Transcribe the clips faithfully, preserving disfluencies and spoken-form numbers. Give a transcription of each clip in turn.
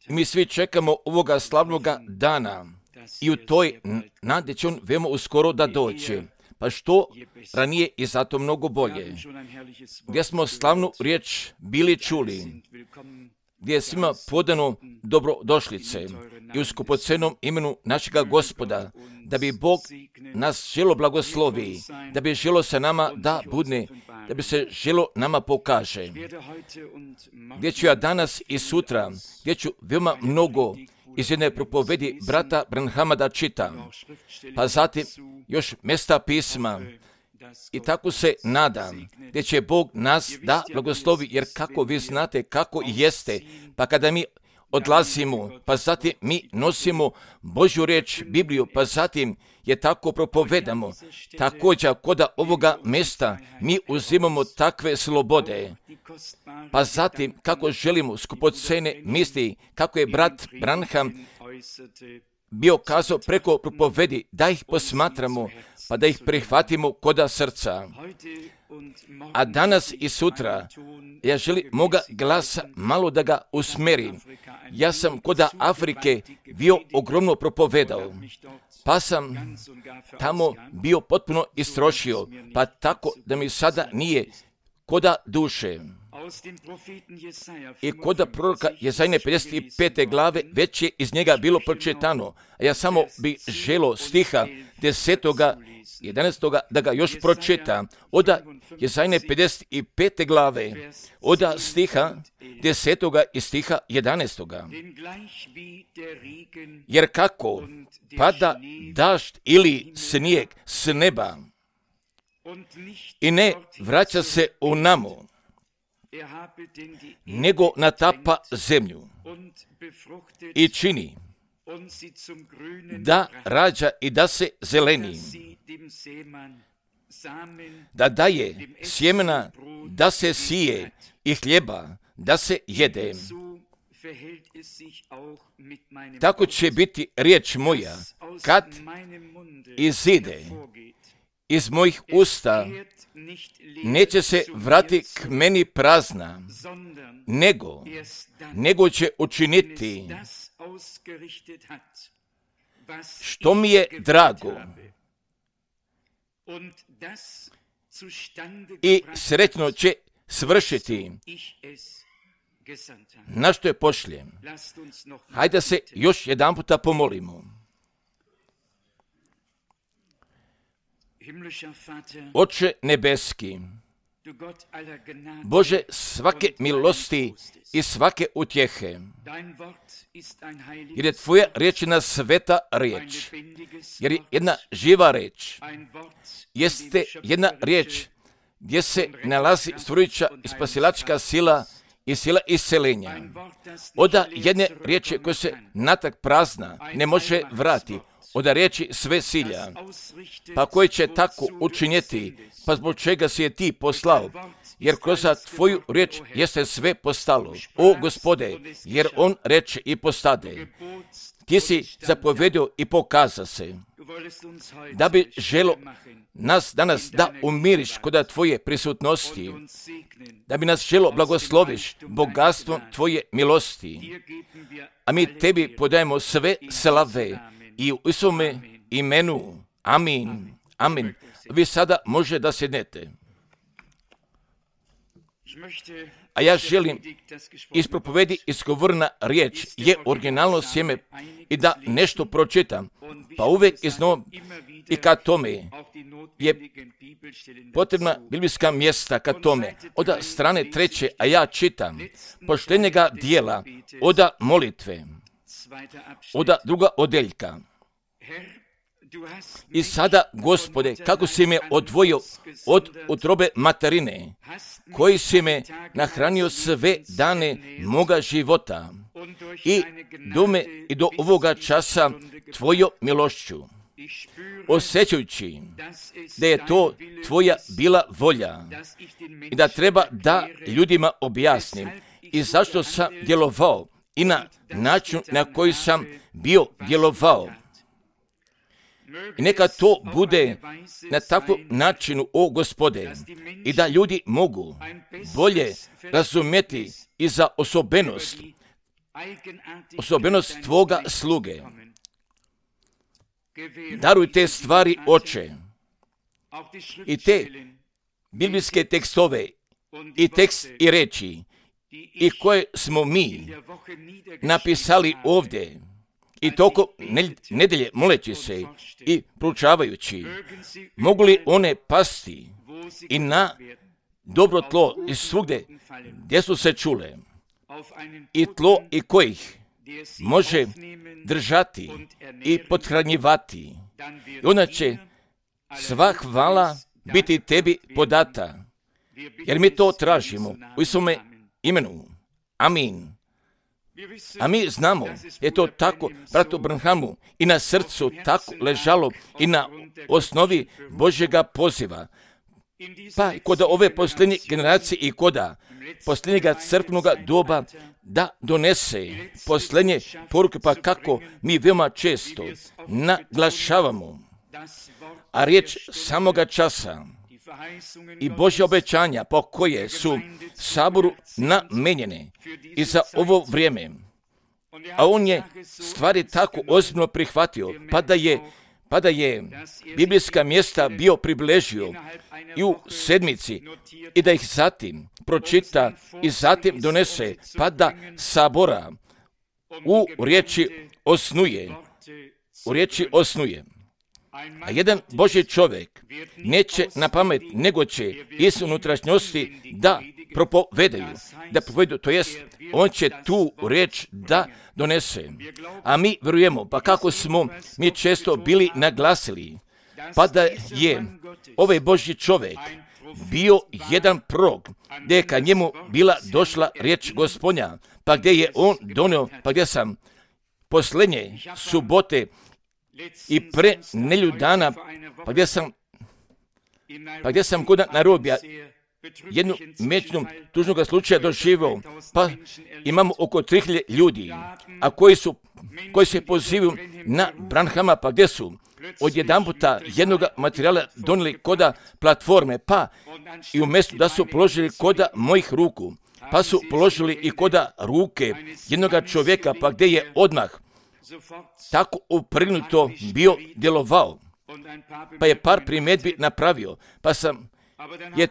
Mi svi čekamo ovoga slavnoga dana i u toj nadi će on veoma uskoro da doće. Pa što ranije i zato mnogo bolje. Gdje smo slavnu riječ bili čuli, gdje je svima podano dobrodošlice i u skupocenom imenu našega Gospoda, da bi Bog nas želo blagoslovi, da bi želo se nama da budne, da bi se želo nama pokaže. Gdje ću ja danas i sutra, gdje ću veoma mnogo iz jedne propovedi brata Branhama da čitam, pa zatim još mjesta pisma. I tako se nadam, gdje će Bog nas da blagoslovi, jer kako vi znate kako jeste, pa kada mi odlazimo, pa zatim mi nosimo Božju riječ, Bibliju, pa zatim je tako propovedamo. Također, kod ovoga mjesta mi uzimamo takve slobode, pa zatim kako želimo skupocene misli, kako je brat Branham bio kazao preko propovedi, da ih posmatramo, pa da ih prihvatimo koda srca. A danas i sutra, ja želim moga glasa malo da ga usmerim. Ja sam koda Afrike bio ogromno propovedao, pa sam tamo bio potpuno istrošio, pa tako da mi sada nije koda duše. I koda proroka Jezajine pedeset pete glave već je iz njega bilo pročitano, a ja samo bi želo stiha desetoga, jedanaestoga da ga još pročita. Oda Jezajine pedeset pete glave, oda stiha desetoga i stiha jedanaestoga. Jer kako pada dažd ili snijeg s neba i ne vraća se u namo, nego natapa zemlju i čini da rađa i da se zeleni, da daje sjemena, da se sije i hljeba, da se jede. Tako će biti riječ moja kad izide iz mojih usta, neće se vrati k meni prazna, nego, nego će učiniti što mi je drago i sretno će svršiti na što je pošljem. Hajde se još jedan puta pomolimo. Oče nebeski, Bože svake milosti i svake utjehe, jer je Tvoja riječ jedna sveta riječ, jer je jedna živa riječ, jeste jedna riječ gdje se nalazi stvorujuća i spasilačka sila i sila iscelenja. Oda jedne riječi koja se natak prazna ne može vrati, oda riječi sve silja, pa koji će tako učiniti, pa zbog čega si je ti poslao, jer kroz Tvoju riječ jeste sve postalo. O Gospode, jer on reče i postade. Ti si zapovedio i pokaza se, da bi želo nas danas da umiriš kod Tvoje prisutnosti, da bi nas želo blagosloviš bogatstvom Tvoje milosti. A mi Tebi podajemo sve slave i u Isome imenu. Amin. Amin. Vi sada može da sjednete. A ja želim iz propovedi izgovorna riječ je originalno sjeme i da nešto pročitam. Pa uvijek iznova i kad tome je potrebna biblijska mjesta kad tome. Oda strane treće, a ja čitam poštenjega dijela, oda molitve, oda druga odeljka. I sada, Gospode, kako si me odvojio od utrobe materine, koji si me nahranio sve dane moga života i do me i do ovoga časa Tvojom milošću, osjećajući da je to Tvoja bila volja i da treba da ljudima objasnim i zašto sam djelovao i na način na koji sam bio djelovao. I neka to bude na takvom načinu, o Gospode, i da ljudi mogu bolje razumjeti i za osobenost, osobenost Tvoga sluge. Daruj te stvari, Oče, i te biblijske tekstove i tekst i reči i koje smo mi napisali ovdje i tokom nedelje moleći se i proučavajući, mogu li one pasti i na dobro tlo i svugdje gdje su se čule, i tlo i kojih može držati i pothranjivati. I onda će sva hvala biti Tebi podata, jer mi to tražimo u Isuse imenu. Amin. A mi znamo, je to tako bratu Branhamu i na srcu tako ležalo i na osnovi Božjega poziva. Pa i kod ove posljednje generacije i koda posljednjega crkvenoga doba da donese posljednje poruke, pa kako mi veoma često naglašavamo, a riječ samoga časa i Božja obećanja po koje su saboru namenjene i za ovo vrijeme. A on je stvari tako ozbiljno prihvatio, pa da je, pa da je biblijska mjesta bio približio i u sedmici i da ih zatim pročita i zatim donese, pa da sabora u riječi osnuje, u riječi osnuje. A jedan Božji čovjek neće na pamet, nego će iz unutrašnjosti da propovedaju, da povedu, to jest, on će tu riječ da donese. A mi vjerujemo, pa kako smo mi često bili naglasili, pa da je ovaj Božji čovjek bio jedan prorok, gdje je ka njemu bila došla riječ Gospodnja, pa gdje je on donio, pa gdje sam posljednje subote i pre nelju dana, pa gdje sam, pa gdje sam kod narobija jednu mečnu tužnog slučaja doživio, pa imamo oko tri hiljade ljudi, a koji su, koji se pozivaju na Branhama, pa gdje su odjedanputa jednog materijala donijeli koda platforme, pa i umjesto da su položili koda mojih ruku, pa su položili i koda ruke jednog čovjeka, pa gdje je odmah tako uprgnuto bio djelovao, pa je par primjedbi napravio, pa sam je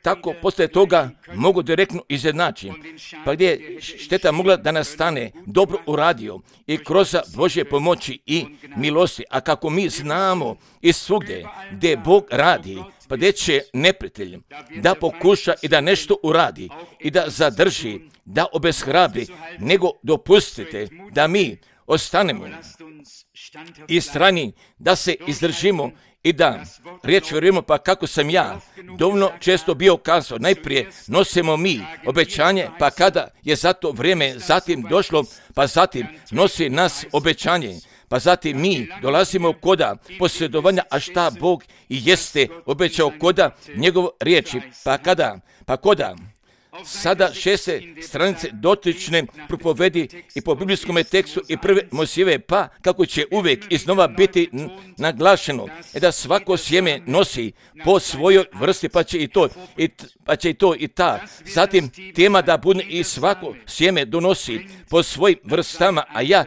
tako poslije toga mogu direktno izjednačiti, pa gdje je šteta mogla da nastane, dobro uradio i kroz Božje pomoći i milosti. A kako mi znamo i svugdje gdje Bog radi, pa gdje će neprijatelj da pokuša i da nešto uradi i da zadrži, da obeshrabri, nego dopustite da mi ostanemo i strani, da se izdržimo i da riječ vjerujemo, pa kako sam ja dovoljno često bio kazao, najprije nosimo mi obećanje, pa kada je za to vrijeme zatim došlo, pa zatim nosi nas obećanje, pa zatim mi dolazimo koda posjedovanja, a šta Bog i jeste obećao koda njegov riječi, pa kada, pa koda sada šeste stranice dotične propovedi i po biblijskom tekstu i prve Mojsijeve, pa kako će uvijek iznova biti naglašeno e da svako sjeme nosi po svojoj vrsti, pa će i to i, pa će i, to i ta. Zatim tema da bude i svako sjeme donosi po svojim vrstama, a ja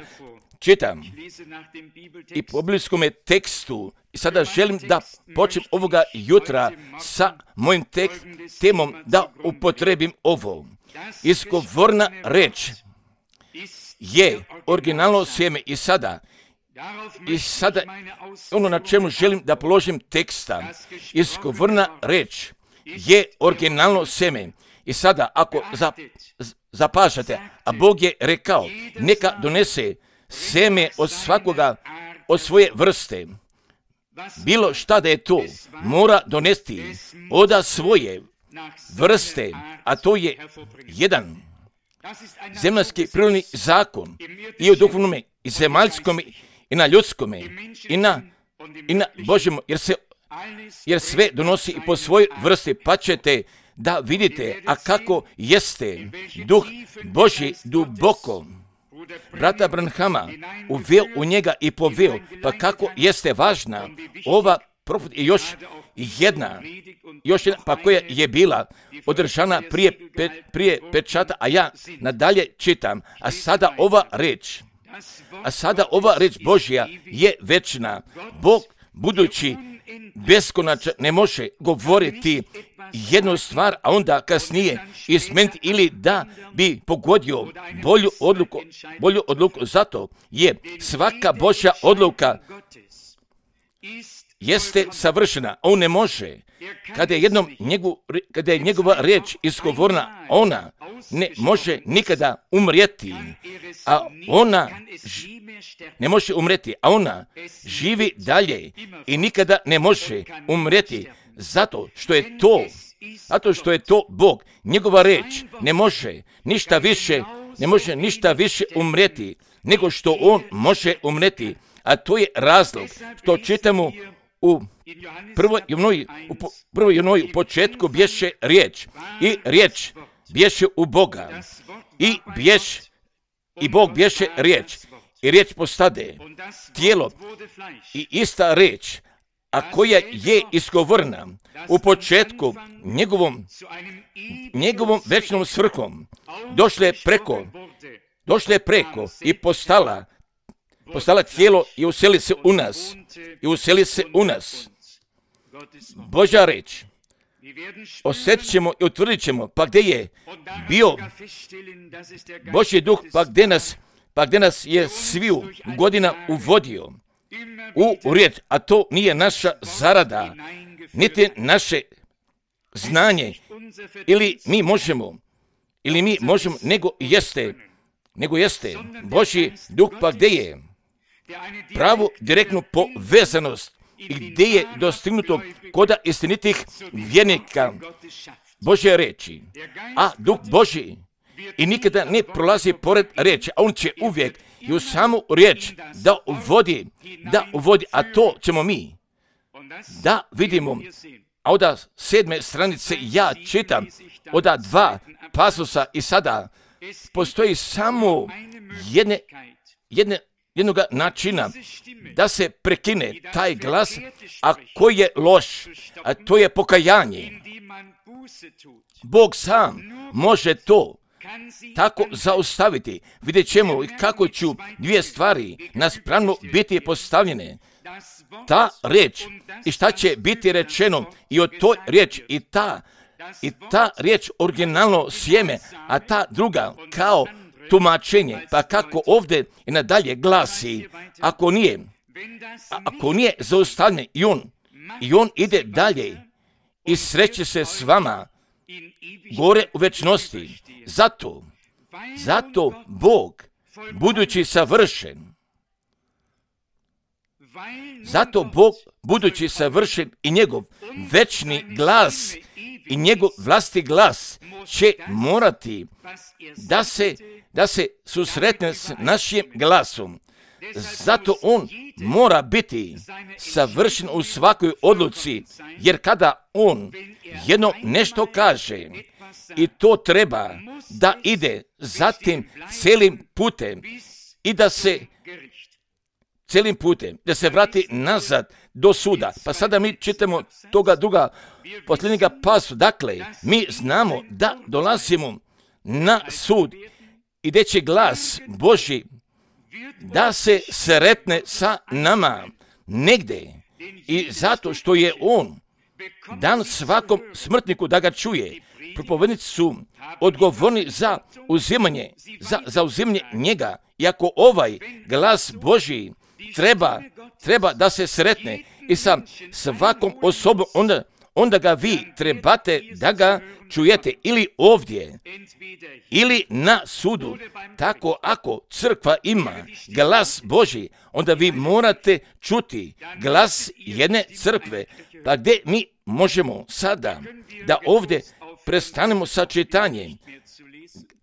čitam i po biblijskom tekstu i sada želim da počnem ovoga jutra sa mojim tek, temom da upotrebim ovo. Izgovorna reč je originalno sjeme i sada i sada ono na čemu želim da položim teksta. Izgovorna reč je originalno sjeme i sada ako zapažate, a Bog je rekao neka donese sjeme od svakoga od svoje vrste. Bilo šta da je to, mora donesti od svoje vrste, a to je jedan zemaljski prirodni zakon i u duhovnom i zemaljskom i na ljudskom i na, i na Božjem, jer, se, jer sve donosi i po svojoj vrsti, pa ćete da vidite, a kako jeste duh Božji duboko brata Branhama uveo u njega i poveo, pa kako jeste važna ova profet i još jedna, još jedna, pa koja je bila održana prije, pe, prije pečata, a ja nadalje čitam, a sada ova reč, a sada ova reč Božja je večna. Bog, budući beskonačan, ne može govoriti jednu stvar, a onda kasnije izmeniti ili da bi pogodio bolju odluku, bolju odluku. Zato je svaka Božja odluka jeste savršena. On ne može, kada je, jednom njegu, kada je njegova reč izgovorena, ona ne može nikada umrijeti, a ona ž, ne može umrijeti, a ona živi dalje i nikada ne može umrijeti, zato što je to, zato što je to Bog. Njegova reč ne može ništa više, ne može ništa više umrijeti, nego što on može umrijeti, a to je razlog što čitamo u prvoj Jovnoj, u prvoj Jovnoj u početku bješe riječ i riječ bješe u Boga i bješ i Bog bješe riječ i riječ postade tijelo i ista riječ, a koja je izgovorena u početku njegovom njegovom večnom svrhom, došle preko došle preko i postala postala tijelo i useli se u nas i useli se u nas. Božja reč osjetit ćemo i utvrdit ćemo, pa gdje je bio Božji duh, pa gdje nas, pa gdje nas je sviju godina uvodio u riječ, a to nije naša zarada, niti naše znanje, ili mi možemo, ili mi možemo, nego jeste, nego jeste Božji duh, pa gdje je pravu direktnu povezanost i gdje je dostignuto koda istinitih vjernika Božje reči, a duh Božji i nikada ne prolazi pored reči, a on će uvijek i u samu riječ da uvodi, da uvodi, a to ćemo mi da vidimo. A od sedme stranice ja čitam od dva pasusa i sada postoji samo jedne, jedne jednoga načina da se prekine taj glas, a koji je loš, a to je pokajanje. Bog sam može to tako zaustaviti. Vidjet ćemo kako ću dvije stvari naspravno biti postavljene. Ta reč i šta će biti rečeno i o toj riječ i ta, i ta riječ originalno sjeme, a ta druga kao tumačenje, pa kako ovdje i nadalje glasi, ako nije, ako nije zaustavljen i on, i on ide dalje i sreće se s vama gore u večnosti. Zato, zato Bog, budući savršen, zato Bog, budući savršen i njegov večni glas i njegov vlasti glas će morati da se da se susretne s našim glasom. Zato on mora biti savršen u svakoj odluci, jer kada on jedno nešto kaže i to treba da ide zatim celim putem i da se celim putem, da se vrati nazad do suda. Pa sada mi čitamo toga druga posljednjega pasu. Dakle, mi znamo da dolazimo na sud i da će glas Božji da se sretne sa nama negdje i zato što je on dan svakom smrtniku da ga čuje. Propovednici su odgovorni za uzimanje, za, za uzimanje njega. I ako ovaj glas Božji treba, treba da se sretne i sa svakom osobom, onda, onda ga vi trebate da ga čujete ili ovdje, ili na sudu. Tako ako crkva ima glas Božji, onda vi morate čuti glas jedne crkve. Pa gdje mi možemo sada da ovdje prestanemo sa čitanjem?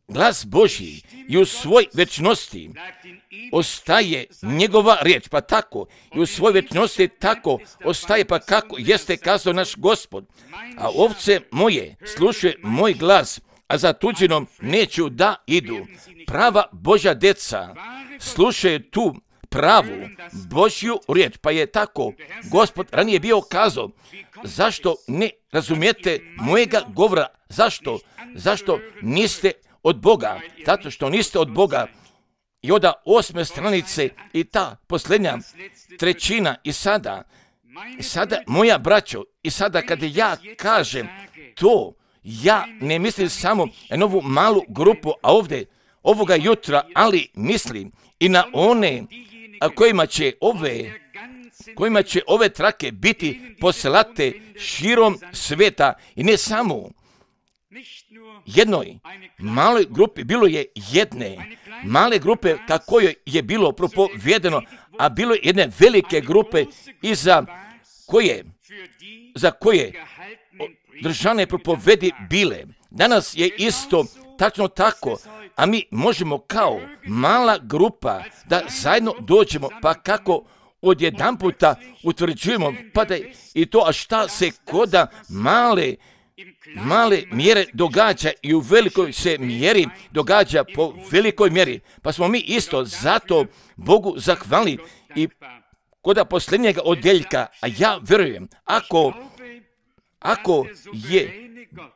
Glas Božji i u svoj večnosti ostaje njegova riječ, pa tako i u svoj večnosti tako ostaje, pa kako jeste kazao naš Gospod. A ovce moje slušaju moj glas a za tuđinom neću da idu. Prava Božja deca slušaju tu pravu Božju riječ, pa je tako Gospod ranije bio kazao, zašto ne razumijete mojega govora? Zašto? Zašto niste od Boga? Zato što niste od Boga. I onda osme stranice i ta posljednja trećina i sada, i sada moja braćo, i sada kada ja kažem to, ja ne mislim samo na ovu malu grupu, a ovdje ovoga jutra, ali mislim i na one a kojima će ove kojima će ove trake biti poslate širom sveta i ne samo jednoj maloj grupi, bilo je jedne male grupe kako je bilo propovedeno, a bilo je jedne velike grupe i za koje za koje držane propovedi bile. Danas je isto tačno tako, a mi možemo kao mala grupa da zajedno dođemo, pa kako odjedan puta utvrđujemo, pa da i to, a šta se koda male male mjere događa i u velikoj se mjeri događa po velikoj mjeri. Pa smo mi isto zato Bogu zahvalili i koda posljednjega odjeljka, a ja vjerujem, ako, ako je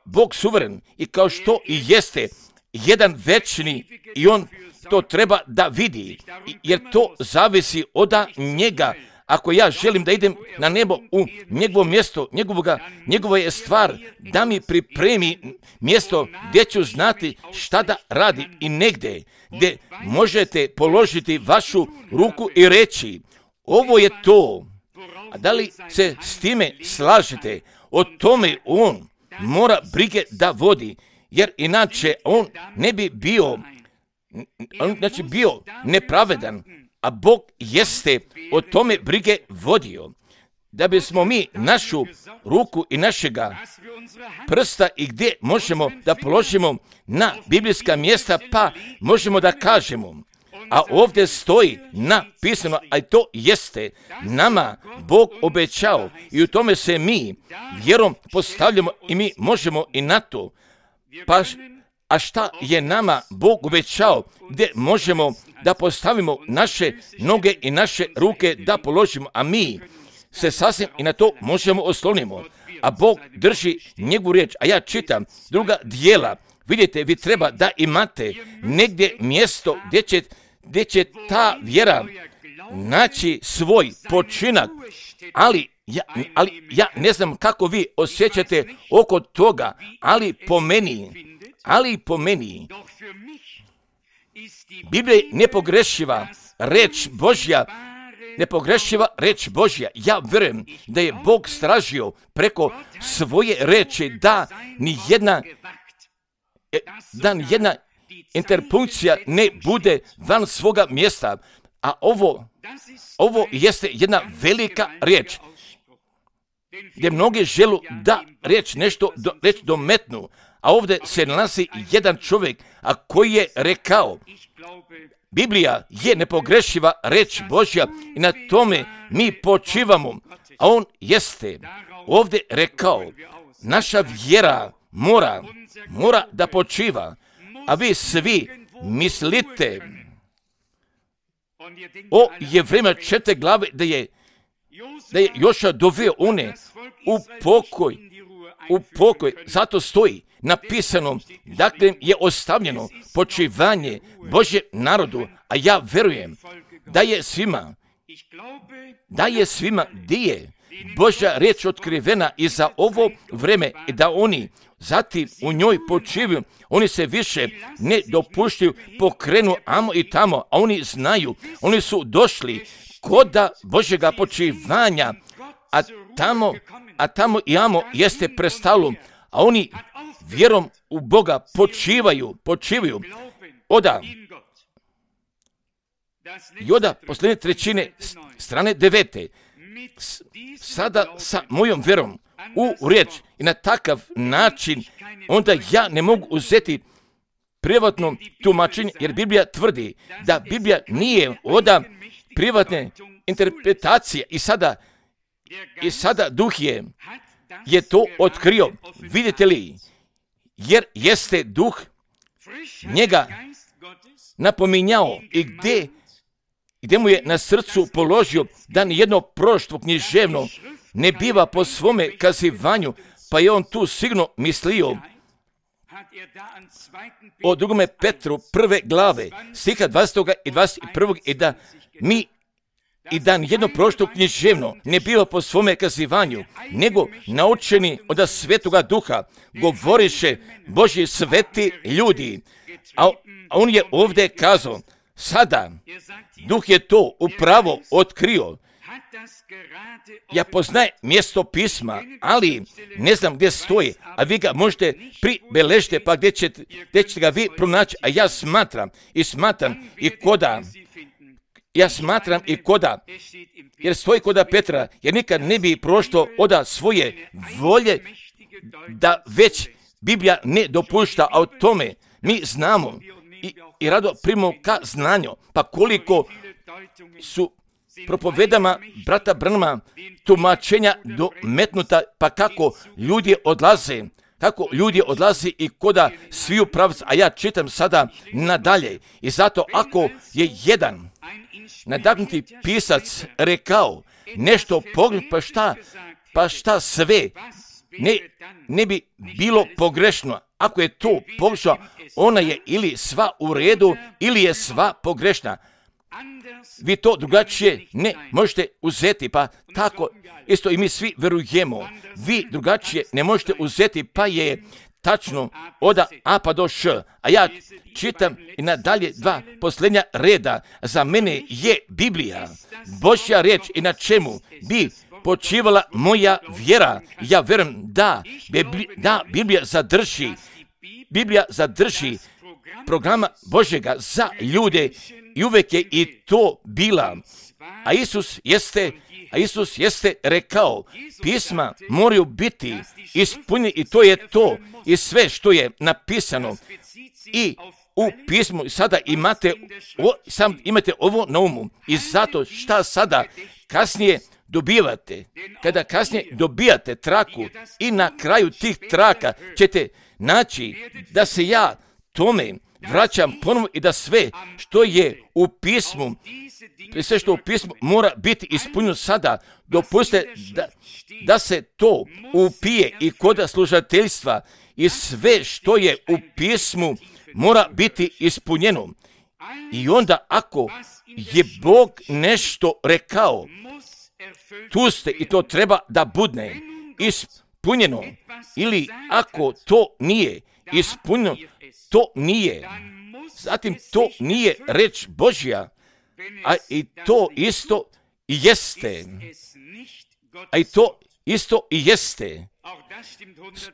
Bog suveren i kao što i jeste jedan večni i on to treba da vidi, jer to zavisi od njega. Ako ja želim da idem na nebo u njegovo mjesto, njegovoga, njegova je stvar da mi pripremi mjesto gdje ću znati šta da radi i negdje gdje možete položiti vašu ruku i reći ovo je to. A da li se s time slažete? O tome on mora brige da vodi, jer inače on ne bi bio, znači bio nepravedan, a Bog jeste o tome brige vodio, da bismo mi našu ruku i našega prsta i gdje možemo da položimo na biblijska mjesta, pa možemo da kažemo, a ovdje stoji napisano, a to jeste nama Bog obećao i u tome se mi vjerom postavljamo i mi možemo i na to. Pa, a šta je nama Bog obećao, gdje možemo da postavimo naše noge i naše ruke da položimo, a mi se sasvim i na to možemo oslonimo. A Bog drži njegovu riječ, a ja čitam druga dijela. Vidite, vi treba da imate negdje mjesto gdje će, gdje će ta vjera naći svoj počinak, ali ja, ali ja ne znam kako vi osjećate oko toga, ali po meni, ali po meni, Biblija je nepogrešiva reč Božja, nepogrešiva reč Božja. Ja vjerujem da je Bog stražio preko svoje reči da ni jedna, da ni jedna interpunkcija ne bude van svoga mjesta, a ovo, ovo jeste jedna velika riječ, gdje mnogi želu da riječ nešto do, reč dometnu, a ovdje se nalazi jedan čovjek, a koji je rekao, Biblija je nepogrešiva reč Božja i na tome mi počivamo, a on jeste ovdje rekao, naša vjera mora, mora da počiva, a vi svi mislite o Jevrejima četiri glave da je, da je Joša doveo one u pokoj, u pokoj, zato stoji napisano, dakle je ostavljeno počivanje Božje narodu, a ja vjerujem da je svima, da je svima gdje je Božja riječ otkrivena i za ovo vreme i da oni zatim u njoj počivaju, oni se više ne dopuštaju, pokrenu amo i tamo, a oni znaju, oni su došli koda Božjega počivanja, a tamo, a tamo i amo jeste prestalo, a oni vjerom u Boga počivaju, počivaju. Oda, i oda posljednje trećine strane devete, sada sa mojom vjerom u riječ i na takav način, onda ja ne mogu uzeti privatno tumačenje, jer Biblija tvrdi da Biblija nije oda privatne interpretacije i sada, i sada duh je, je to otkrio. Vidite li, jer jeste duh njega napominjao i gdje, gdje mu je na srcu položio da nijedno proroštvo književno ne biva po svome kazivanju, pa je on tu sigurno mislio o drugome Petru prve glave, stiha dvadesetog i dvadeset prvog i da mi i da nijedno proroštvo književno ne biva po svome kazivanju, nego naučeni od Svetoga Duha govoriše Božji sveti ljudi. A on je ovdje kazao, sada Duh je to upravo otkrio. Ja poznajem mjesto pisma, ali ne znam gdje stoji, a vi ga možete pribeležiti, pa gdje ćete, gdje ćete ga vi pronaći, a ja smatram i smatram i koda, ja smatram i koda, jer stoji koda Petra, jer nikad ne bi prošlo oda svoje volje, da već Biblija ne dopušta, a o tome mi znamo i, i rado primamo ka znanju, pa koliko su propovedama brata Branhama tumačenja dometnuta, pa kako ljudi odlaze, kako ljudi odlaze i koda sviju pravca, a ja čitam sada nadalje. I zato ako je jedan nadahnuti pisac rekao nešto pogrešno, pa šta, pa šta sve ne, ne bi bilo pogrešno. Ako je to pogrešno, ona je ili sva u redu, ili je sva pogrešna. Vi to drugačije ne možete uzeti, pa tako isto i mi svi verujemo. Vi drugačije ne možete uzeti, pa je tačno od A pa do Š. A ja čitam i nadalje dva posljednja reda. Za mene je Biblija Božja riječ i na čemu bi počivala moja vjera. Ja vjerujem da, da Biblija zadrži, Biblija zadrži programa Božjega za ljude i uvijek je i to bila. A Isus jeste, a Isus jeste rekao, pisma moraju biti ispunjeni i to je to i sve što je napisano. I u pismu sada imate, o, sam imate ovo na umu i zato šta sada kasnije dobivate, kada kasnije dobijate traku i na kraju tih traka ćete naći da se ja tome vraćam ponovno i da sve što je u pismu, sve što u pismu mora biti ispunjeno sada. Dopustite da, da se to upije i kod služateljstva i sve što je u pismu mora biti ispunjeno. I onda ako je Bog nešto rekao, tu ste i to treba da budne ispunjeno. Ili ako to nije ispunjeno, to nije. Zatim to nije reč Božja, a i to isto i jeste. A i to isto i jeste.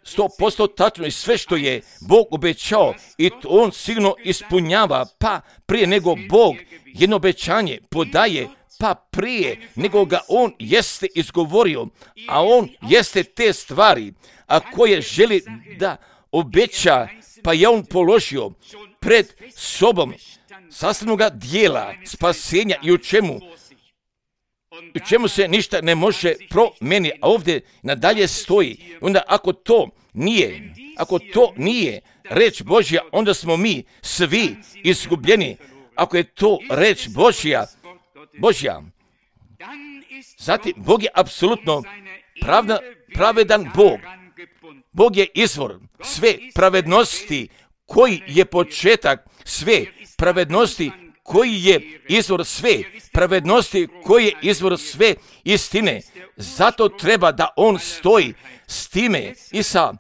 Sto posto tačno i sve što je Bog obećao i to on sigurno ispunjava, pa prije nego Bog jedno obećanje podaje, pa prije nego ga on jeste izgovorio, a on jeste te stvari, a koje želi da obeća, pa je on položio pred sobom sastavnoga dijela spasenja i u čemu, u čemu se ništa ne može promijeniti, a ovdje nadalje stoji. Onda ako to nije, ako to nije reč Božja, onda smo mi svi izgubljeni. Ako je to reč Božja, Božja, zatim Bog je apsolutno pravda, pravedan Bog. Bog je izvor sve pravednosti, koji je početak sve pravednosti, koji je izvor sve pravednosti, koji je izvor sve istine. Zato treba da on stoji s time i sa,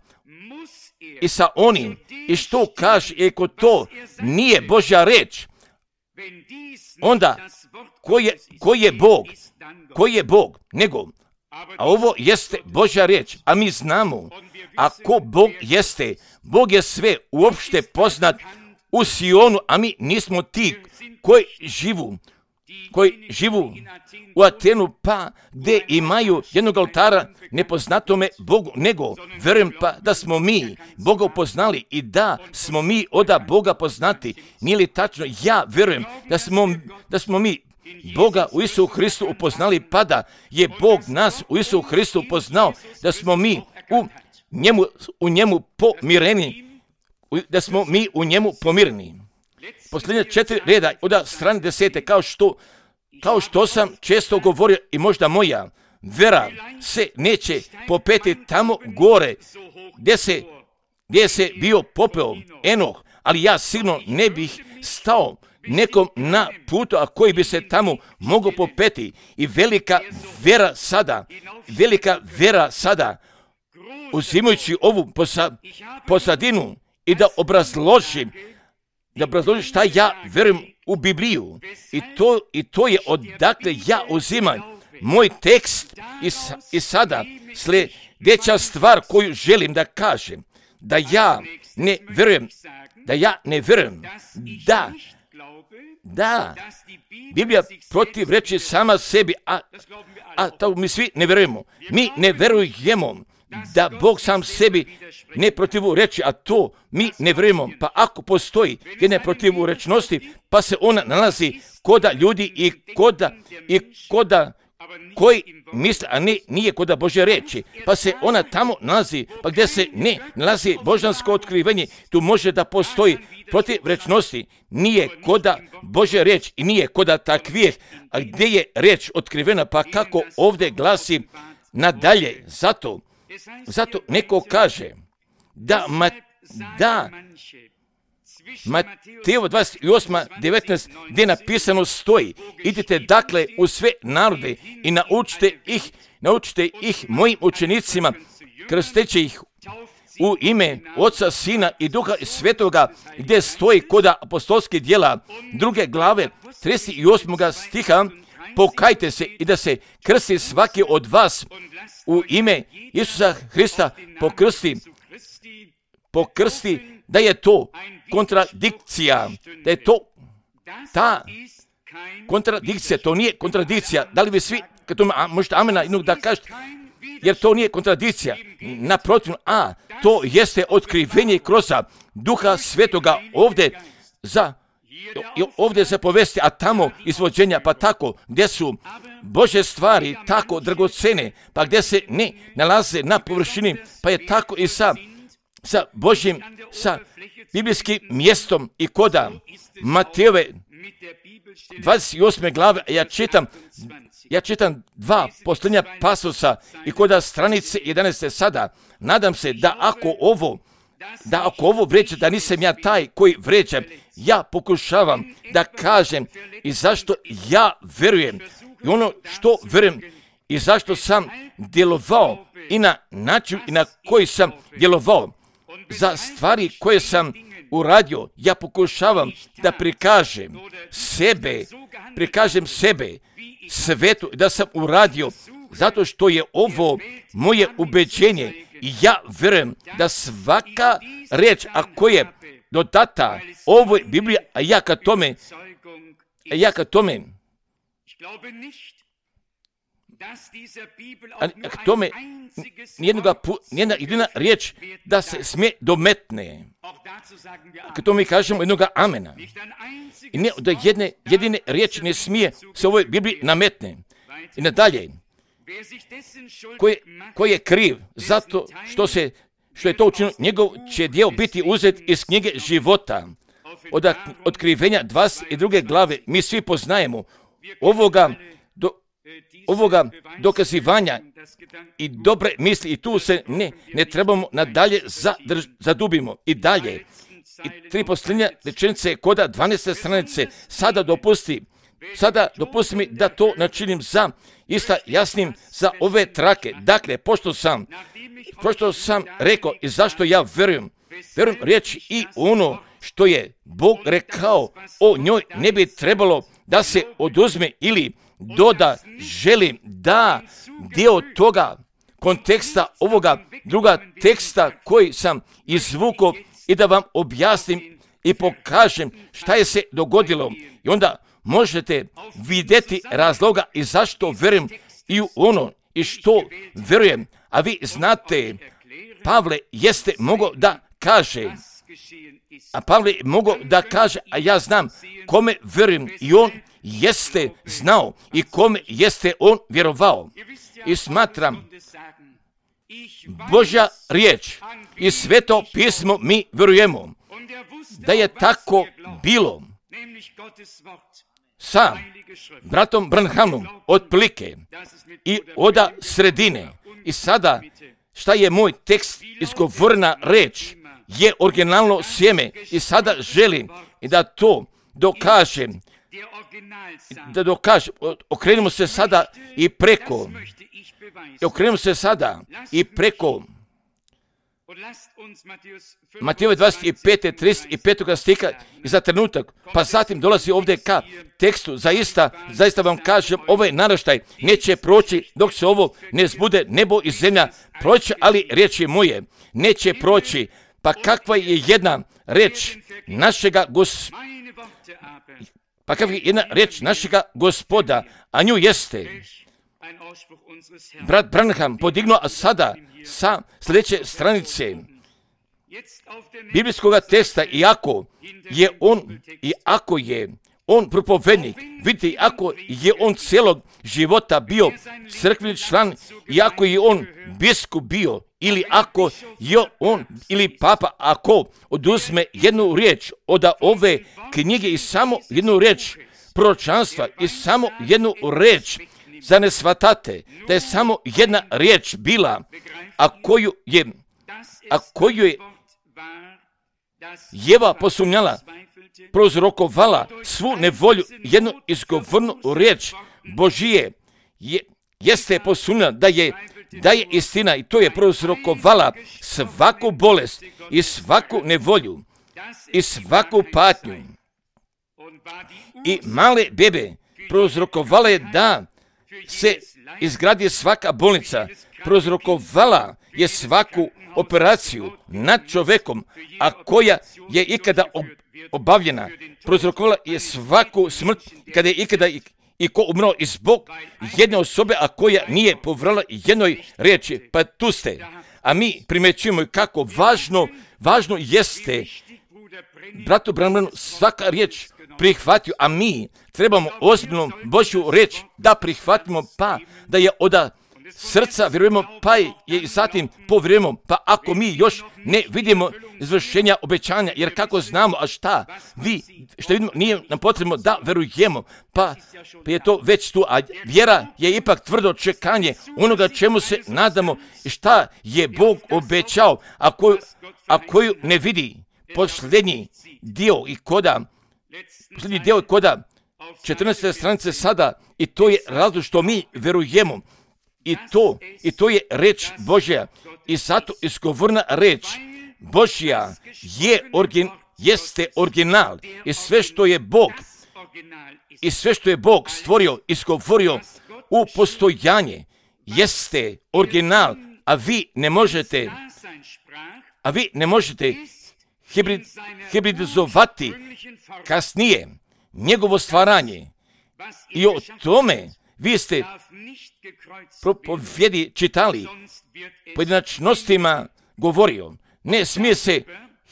i sa onim. I što kaže, ako to nije Božja reč, onda koji je, koji je Bog? Koji je Bog? Nego, a ovo jeste Božja riječ, a mi znamo, ako Bog jeste, Bog je sve uopšte poznat u Sionu, a mi nismo ti koji živu, koji živu u Atenu, pa gdje imaju jednog oltara nepoznatome Bogu, nego verujem pa da smo mi Boga upoznali i da smo mi oda Boga poznati. Nije li tačno? Ja verujem da smo, da smo mi Boga u Isusu Hristu upoznali, pa da je Bog nas u Isusu Hristu upoznao, da smo mi u njemu, u njemu pomireni da smo mi u njemu pomirni. Posljednje četiri reda od strane desete, kao što, kao što sam često govorio i možda moja vera se neće popeti tamo gore gdje se, gdje se bio popeo Enoh, ali ja sigurno ne bih stao nekom na putu, a koji bi se tamo mogao popeti. I velika vera sada, velika vera sada, uzimajući ovu posa, posadinu i da obrazložim, da obrazložim šta ja verujem u Bibliju. I to, i to je odakle ja uzimam moj tekst i, i sada sljedeća stvar koju želim da kažem, da ja ne verujem, da ja ne verujem, da Da, Biblija protiv reči sama sebi, a, a to mi svi ne verujemo. Mi ne verujemo da Bog sam sebi ne protivu reči, a to mi ne verujemo. Pa ako postoji jedna protivu rečnosti, pa se ona nalazi koda ljudi i koda, i koda koji misle, a ne, nije koda Božje reči, pa se ona tamo nalazi, pa gdje se ne nalazi božansko otkrivenje, tu može da postoji protiv rečnosti, nije koda Božja reč i nije koda takvih, a gdje je reč otkrivena, pa kako ovdje glasi nadalje. Zato, zato neko kaže da, ma, da Mateo dvadeset osam devetnaest gdje napisano stoji: idite dakle u sve narode i naučite ih, naučite ih mojim učenicima, krsteći ih u ime Oca, Sina i Duha Svetoga, gdje stoji koda apostolskih djela druge glave trideset osam stiha: pokajte se i da se krsti svaki od vas u ime Isusa Hrista pokrsti, pokrsti, da je to kontradikcija, da je to ta kontradikcija, to nije kontradikcija. Da li vi svi, kad to možete amena jednog da kažete, jer to nije kontradikcija, naprotiv, a to jeste otkrivenje kroz Duha Svetoga ovdje za ovdje se povesti, a tamo izvođenja, pa tako gdje su Božje stvari tako dragocene, pa gdje se ne nalaze na površini, pa je tako i sa sa Božjim, sa biblijskim mjestom i koda Matejove dvadeset osme glave, ja čitam, ja čitam dva posljednja pasosa i koda stranice jedanaeste sada. Nadam se da ako ovo, da ako ovo vređa, da nisam ja taj koji vređa, ja pokušavam da kažem i zašto ja verujem i ono što verujem i zašto sam djelovao i na način i na koji sam djelovao. Za stvari koje sam uradio, ja pokušavam da prikažem sebe, prikažem sebe svetu, da sam uradio, zato što je ovo moje ubeđenje i ja verujem da svaka reč, ako je dodata ovoj Bibliji, a ja ka tome, a ja ka tome, a k tome nijedna, nijedna jedina riječ da se smije dometne. K tome mi kažemo jednoga amena. I ne, da jedne jedine riječi ne smije se ovoj Bibliji nametne. I nadalje, ko je, ko je kriv zato što, se, što je to učinio, njegov će dio biti uzet iz knjige života. Od otkrivenja dvadeset druge glave mi svi poznajemo ovoga do, ovoga dokazivanja i dobre misli i tu se ne, ne trebamo nadalje zadrž, zadubimo i dalje. I tri posljednje rečenice koda dvanaeste stranice. Sada dopusti, sada dopusti mi da to načinim za ista jasnim za ove trake. Dakle, pošto sam, pošto sam rekao i zašto ja verujem, verujem riječi i ono što je Bog rekao o njoj ne bi trebalo da se oduzme ili doda. Želim da dio toga konteksta ovoga druga teksta koji sam izvukao i da vam objasnim i pokažem šta je se dogodilo. I onda možete vidjeti razloga i zašto verujem i u ono i što verujem. A vi znate, Pavle jeste mogao da kaže, a Pavle mogao da kaže, a ja znam kome verujem i on jeste znao i kome jeste on vjerovao. I smatram, Božja riječ i sveto pismo mi vjerujemo. da je tako bilo sa bratom Branhamom otprilike i oda sredine. I sada, šta je moj tekst, izgovorena reč, je originalno sjeme. I sada želim da to dokažem, da dokažem. Okrenimo se sada i preko, okrenimo se sada i preko Matejove dvadeset pet, trideset pet stiha i za trenutak, pa zatim dolazi ovdje ka tekstu, zaista, zaista vam kažem, ovaj naraštaj neće proći dok se ovo ne zbude, nebo i zemlja proći, ali riječi moje neće proći. Pa kakva je jedna reč našega gospoda, pa kakva je jedna reč našega gospoda, a nju jeste brat Branham podignuo, a sada sa sljedeće stranice biblijskog teksta, iako je on, iako je on propovednik, vidite, iako je on cijelog života bio crkveni član, iako je on biskup bio, ili ako je on, ili papa, ako oduzme jednu riječ od ove knjige i samo jednu riječ proročanstva i samo jednu riječ, za ne shvatate da je samo jedna riječ bila, a koju je, a koju je Jeva posumnjala, prozrokovala svu nevolju, jednu izgovornu riječ Božije, je, jeste posumnjala da je, da je istina, i to je prozrokovala svaku bolest i svaku nevolju i svaku patnju. I male bebe prozrokovala je da se izgradi svaka bolnica, prozrokovala je svaku operaciju nad čovjekom, a koja je ikada obavljena, prozrokovala je svaku smrt kada je ikada i, i ko umro i zbog jedne osobe, a koja nije povrala jednoj riječi. Pa tu ste. A mi primjećujemo kako važno, važno jeste bratu Branhanu svaka riječ prihvatio, a mi trebamo ozbiljno Božju riječ da prihvatimo, pa da je od srca vjerujemo, pa je i zatim povjerujemo. Pa ako mi još ne vidimo izvršenja obećanja, jer kako znamo, a šta vi, što vidimo, nije nam potrebno da verujemo, pa, pa je to već tu, a vjera je ipak tvrdo čekanje onoga čemu se nadamo i šta je Bog obećao, a koju, a koju ne vidi. Posljednji dio i koda, posljednji dio i koda četrnaeste stranice sada, i to je razlog što mi verujemo. I to, i to je reč Božja. I zato izgovorna reč Božja je origin, jeste original. I sve što je Bog, i sve što je Bog stvorio, izgovorio u postojanje, jeste original. A vi ne možete, a vi ne možete hibrid, hibridizovati kasnije njegovo stvaranje. I o tome vi ste propovjedi čitali, pojedinačnostima govorio. Ne smije se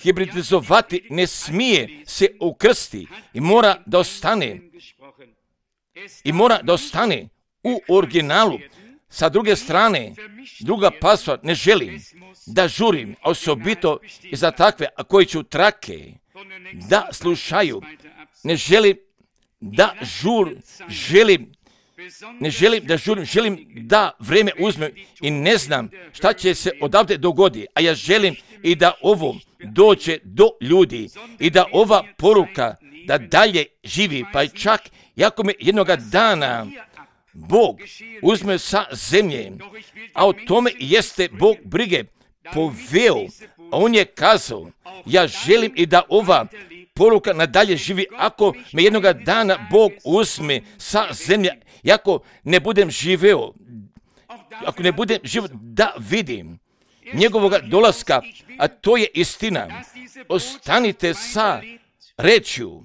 hibridizovati, ne smije se ukrsti i mora da ostane, i mora da ostane u originalu. Sa druge strane, druga pasva, ne želim da žurim, osobito i za takve, a koji ću trake da slušaju. Ne želim da žur, želim, ne želim da žurim, želim da vrijeme uzmem i ne znam šta će se odavde dogoditi, a ja želim i da ovo dođe do ljudi i da ova poruka da dalje živi, pa čak jako me jednoga dana Bog uzme sa zemlje, a o tome jeste Bog brige poveo, a on je kazao, ja želim i da ova poruka nadalje živi, ako me jednoga dana Bog uzme sa zemlje, ako ne budem živeo, ako ne budem živeo da vidim njegovoga dolaska, a to je istina. Ostanite sa rečju,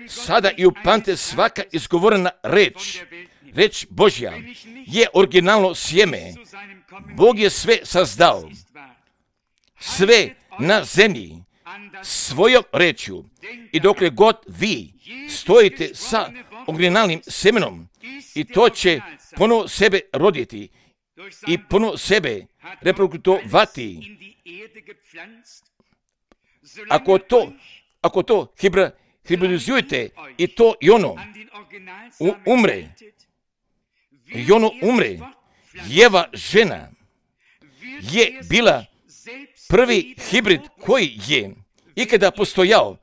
sada i upamtite svaka izgovorena reč. Reč Božja je originalno sjeme. Bog je sve sazdao, sve na zemlji, svojom rečju. I dokle god vi stojite sa originalnim semenom, i to će ponovo sebe roditi i ponovo sebe reproduktovati. ako to, ako to hibra, hibridizujete i to i ono u, umre, i ono umre, Jeva žena je bila prvi hibrid koji je ikada postojao.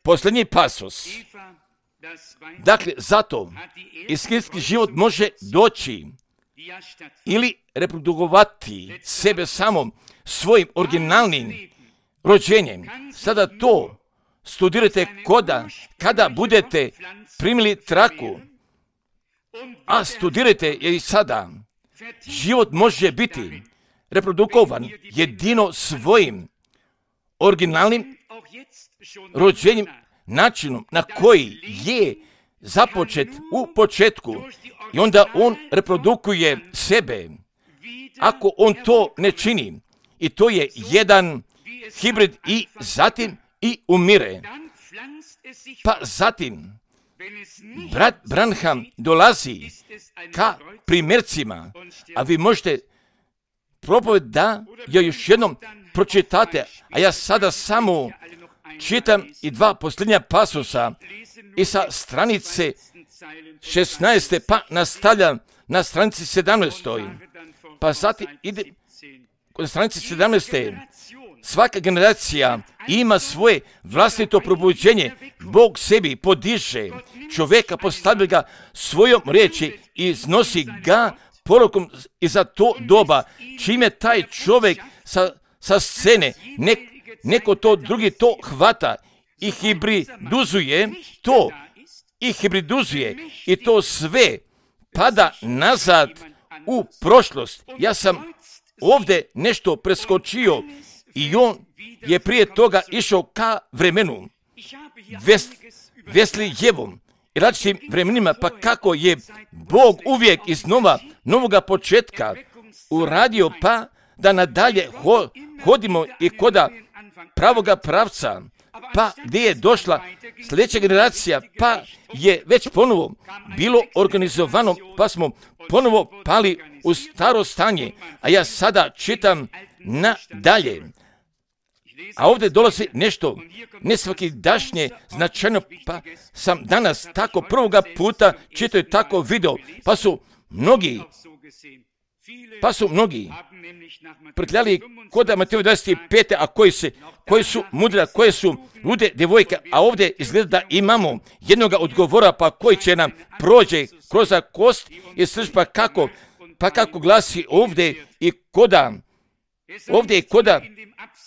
Posljednji pasos. Dakle, zato istinski život može doći ili reprodukovati sebe samom svojim originalnim rođenjem. Sada to studirajte koda, kada budete primili traku, a studirajte je i sada. Život može biti reprodukovan jedino svojim originalnim rođenjem, načinom na koji je započet u početku i onda on reprodukuje sebe. Ako on to ne čini, i to je jedan hibrid i zatim i umire. Pa zatim brat Branham dolazi ka primjercima, a vi možete propoved da joj još jednom pročitate, a ja sada samo čitam i dva posljednja pasusa i sa stranice šesnaeste pa nastavljam na stranici sedamnaestoj. Pa zatim ide kod stranice sedamnaeste. Svaka generacija ima svoje vlastito probuđenje. Bog sebi podiže čovjeka, postavlja ga svojom riječi i iznosi ga porukom i za to doba, čime taj čovjek sa, sa scene, nek, neko to drugi to hvata i hibriduzuje to, i hibriduzuje i to sve pada nazad u prošlost. Ja sam ovdje nešto preskočio i on je prije toga išao ka vremenu Ves, Veslijevom i različitim vremenima, pa kako je Bog uvijek iznova novoga početka uradio, pa da nadalje ho, hodimo i koda pravoga pravca, pa gdje je došla sljedeća generacija, pa je već ponovo bilo organizovano, pa smo ponovo pali u staro stanje, a ja sada čitam nadalje. A ovdje dolazi nešto nesvakidašnje, značajno, pa sam danas tako prvoga puta čitao tako video, pa su mnogi, pa su mnogi prkljali koda Mateju dvadeset pet, a koji, se, koji su mudre, koje su lude djevojke, a ovdje izgleda da imamo jednoga odgovora, pa koji će nam prođe kroz kost i srž, pa kako, pa kako glasi ovdje i koda, ovdje i koda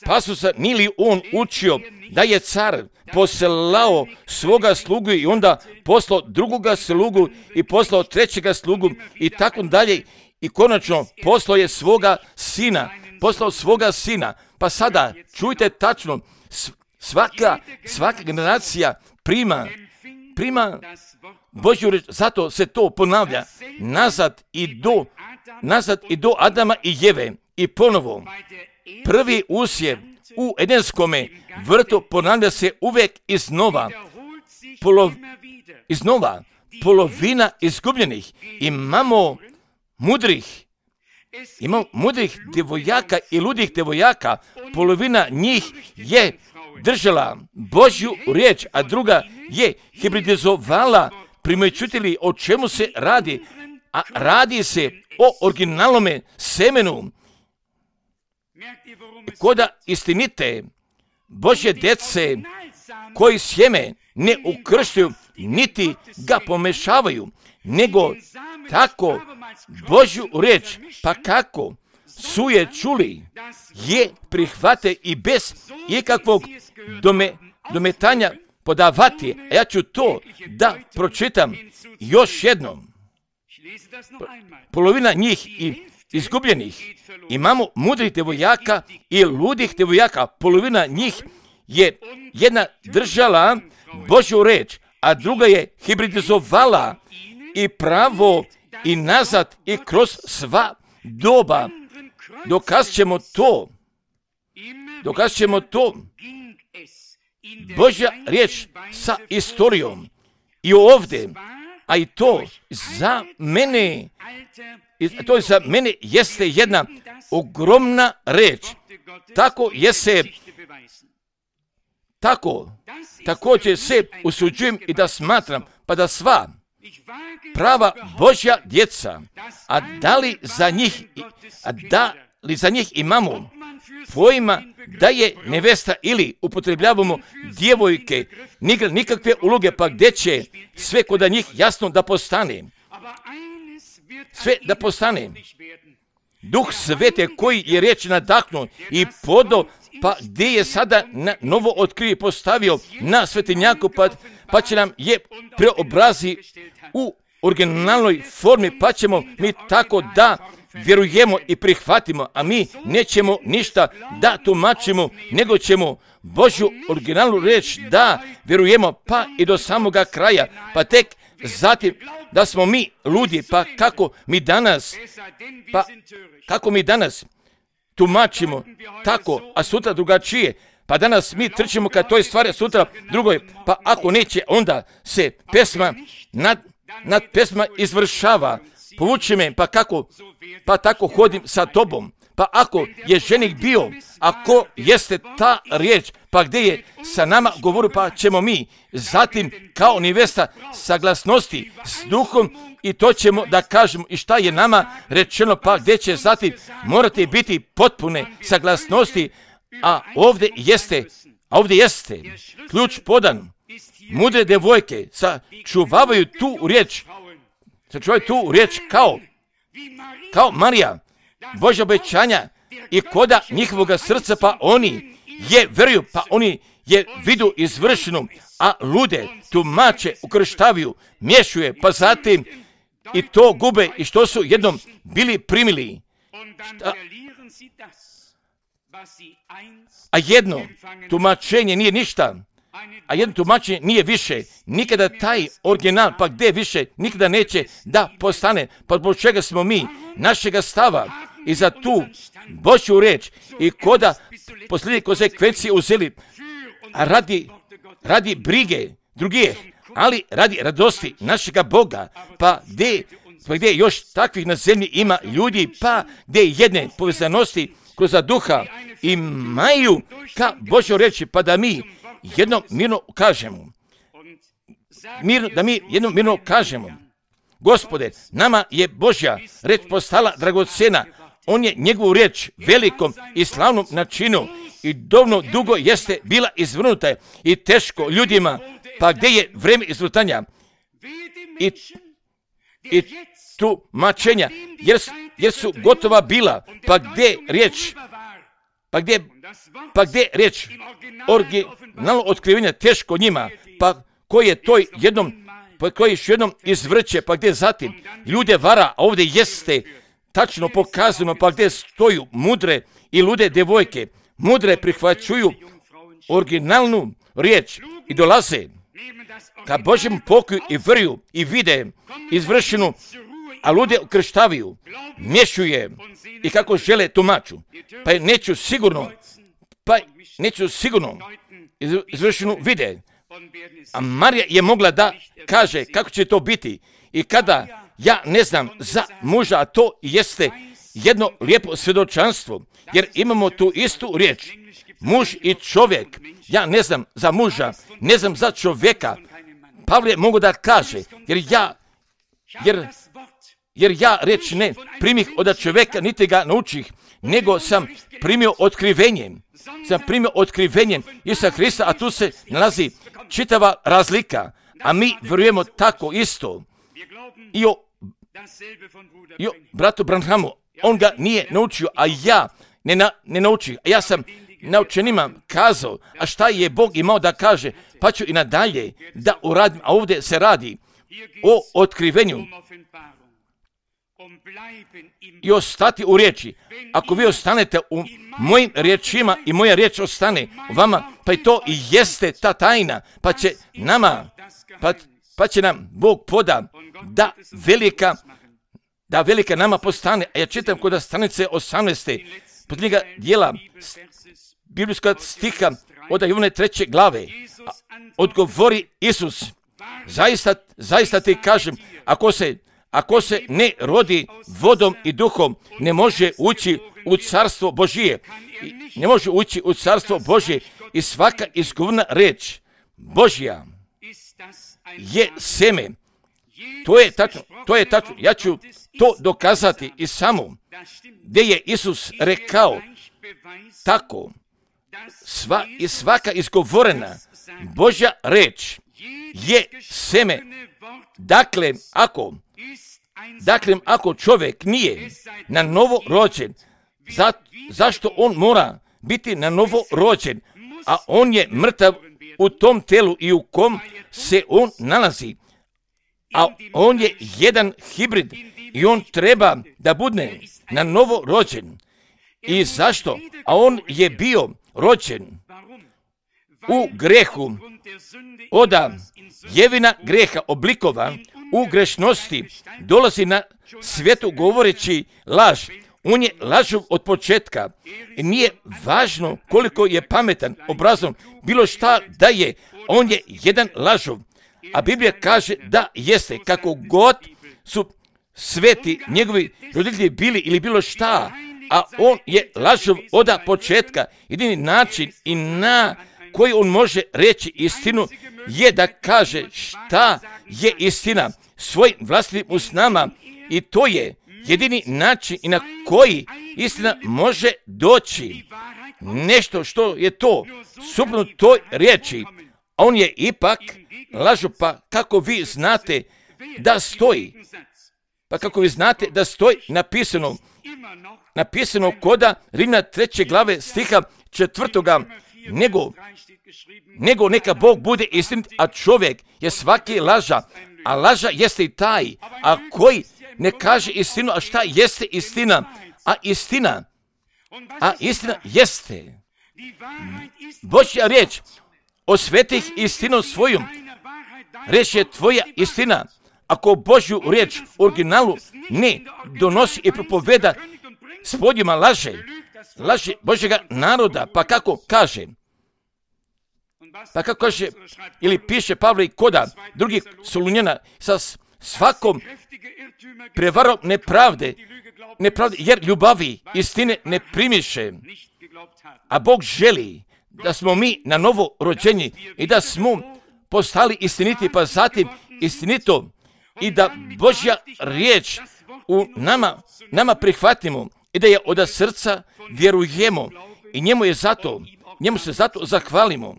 pasusa, nije li on učio da je car poslao svoga slugu i onda poslao drugoga slugu i poslao trećega slugu i tako dalje i konačno poslao je svoga sina, poslao svoga sina. Pa sada čujte tačno, svaka, svaka generacija prima, prima Božju reč, zato se to ponavlja nazad i do, nazad i do Adama i Jeve i ponovo. Prvi usjev u Edenskome vrtu ponavlja se uvijek iznova, Polov, iznova, polovina izgubljenih. Imamo mudrih, imamo mudrih djevojaka i ludih djevojaka, polovina njih je držala Božju riječ, a druga je hibridizovala. Primjećujete o čemu se radi? A radi se o originalnome semenu. Koda istinite Božje djece koji sjeme ne ukrštuju niti ga pomešavaju, nego tako Božju riječ, pa kako su je čuli, je prihvate i bez ikakvog dome, dometanja podavati. A ja ću to da pročitam još jednom. Polovina njih i izgubljenih. Imamo mudrih djevojaka i ludih djevojaka. Polovina njih je jedna držala Božju reč, a druga je hibridizovala i pravo i nazad i kroz sva doba. Dokaz ćemo to. Dokaz ćemo to. Božja riječ sa istorijom. I ovdje a i to za mene, to za mene jeste jedna ogromna reč. Tako jeste, tako, također se usuđujem i da smatram, pa da sva prava Božja djeca, a da li za njih, a da li za njih imamo pojma da je nevesta ili upotrebljavamo djevojke, nikakve uloge, pa gdje će sve kod njih jasno da postane. Sve da postane. Duh Svete koji je riječ nadahnuo i podo, pa gdje je sada na novo otkrije postavio na svetinjaku, pa, pa će nam je preobrazi u originalnoj formi, pa ćemo mi tako da vjerujemo i prihvatimo, a mi nećemo ništa da tumačimo, nego ćemo Božju originalnu riječ da vjerujemo, pa i do samoga kraja, pa tek zatim da smo mi ludi, pa kako mi danas, pa kako mi danas tumačimo tako, a sutra drugačije, pa danas mi trčimo kad toj stvari, sutra drugoj, pa ako neće, onda se pesma nad, nad pesma izvršava. Povuči me, pa kako, pa tako hodim sa tobom. Pa ako je ženik bio, ako jeste ta riječ, pa gdje je sa nama govorio, pa ćemo mi zatim kao nevesta saglasnosti s duhom i to ćemo da kažemo i šta je nama rečeno, pa gdje će zatim morati biti potpune saglasnosti, a ovdje jeste, a ovdje jeste ključ podan. Mudre devojke sačuvavaju tu riječ, sačuvaju tu riječ kao, kao Marija, Božja obećanja i koda njihovoga srca, pa oni je veruju, pa oni je vidu izvršenu, a lude tumače, ukrštavaju, miješuje, pa zatim i to gube i što su jednom bili primili. Šta? A jedno tumačenje nije ništa, a jedno tumačenje nije više. Nikada taj original, pa gdje više, nikada neće da postane. Pa zbog čega smo mi našega stava i za tu Božju reč i koda posljednje konsekvencije uzeli radi, radi brige drugih, ali radi radosti našega Boga, pa gdje, pa gdje još takvih na zemlji ima ljudi, pa gdje jedne povezanosti kroz duha imaju ka Božjoj reči, pa da mi jedno mirno kažemo, mirno, da mi jedno mirno kažemo, Gospode, nama je Božja reč postala dragocena, on je njegovu riječ velikom i slavnom načinu i dovoljno dugo jeste bila izvrnuta i teško ljudima, pa gdje je vrijeme izvrtanja i, i tumačenja, jer, jer su gotova bila, pa gdje riječ, pa gdje, pa gdje riječ originalno otkrivenja teško njima, pa koji je to jednom, pa koji još jednom izvrće, pa gdje zatim ljude vara, a ovdje jeste tačno pokazano, pa gdje stoju mudre i lude devojke, mudre prihvaćuju originalnu riječ i dolaze ka Božjem pokoju i vrju i vide izvršenu, a lude ukrštavaju, miješuje i kako žele tumaču. Pa neću sigurno, pa neću sigurno izvršenu vide. A Marija je mogla da kaže kako će to biti i kada ja ne znam za muža, a to jeste jedno lijepo svjedočanstvo, jer imamo tu istu riječ. Muž i čovjek, ja ne znam za muža, ne znam za čovjeka. Pavle mogu da kaže, jer ja, jer, jer ja reč ne primih od čovjeka, niti ga naučih, nego sam primio otkrivenjem. Sam primio otkrivenjem Isusa Hrista, a tu se nalazi čitava razlika, a mi vjerujemo tako isto. I o, i o bratu Branhamu, on ga nije naučio, a ja ne, na, ne naučio. A ja sam naučenima kazao, a šta je Bog imao da kaže, pa ću i nadalje da uradim, a ovdje se radi o otkrivenju i ostati u riječi. Ako vi ostanete u mojim riječima i moja riječ ostane u vama, pa i to i jeste ta tajna, pa će nama, pa, pa će nam Bog poda da velika, da velika nama postane. A ja čitam kod stranice osamnaeste posljednjega dijela biblijskog stiha od Jovane treće glave. A odgovori Isus Zaista, zaista ti kažem, ako se, ako se ne rodi vodom i duhom, ne može ući u carstvo Božije. Ne može ući u carstvo Božije i svaka izgovorena reč Božja je seme. To je tačno, to je tačno. Ja ću to dokazati i samo gdje je Isus rekao tako. Sva i svaka izgovorena Božja reč je seme. Dakle, ako dakle, ako čovjek nije na novo rođen, za, zašto on mora biti na novo rođen, a on je mrtav u tom telu i u kom se on nalazi, a on je jedan hibrid i on treba da bude na novo rođen. I zašto? A on je bio rođen u grehu, oda jevina greha oblikovan u grešnosti, dolazi na svijetu govoreći laž. On je lažov od početka i nije važno koliko je pametan, obrazom, bilo šta da je, on je jedan lažov. A Biblija kaže da jeste, kako god su sveti njegovi roditelji bili ili bilo šta, a on je lažov od početka. Jedini način i na koji on može reći istinu je da kaže šta je istina svojim vlastitim usnama, i to je jedini način i na koji istina može doći. Nešto što je to suprotno toj riječi, a on je ipak lažu. Pa kako vi znate da stoji, pa kako vi znate da stoji napisano, napisano koda Rimljana treće glave stiha četvrtoga, nego, nego neka Bog bude istinit, a čovjek je svaki laža, a laža jeste i taj, a koji ne kaže istinu. A šta jeste istina? A istina, a istina jeste Božja riječ. Osvetih istinu svojom. Reč je tvoja istina. Ako Božju riječ u originalu ne donosi i propoveda, s poljima laže, laže Božjega naroda. Pa kako kaže? Pa kako kaže ili piše Pavle i koda drugih Solunjana, sa svakom prevarom nepravde, nepravde, jer ljubavi istine ne primiše. A Bog želi da smo mi na novo rođeni i da smo postali istiniti, pa zatim istinito, i da Božja riječ u nama, nama prihvatimo i da je od srca vjerujemo i njemu je zato, njemu se zato zahvalimo.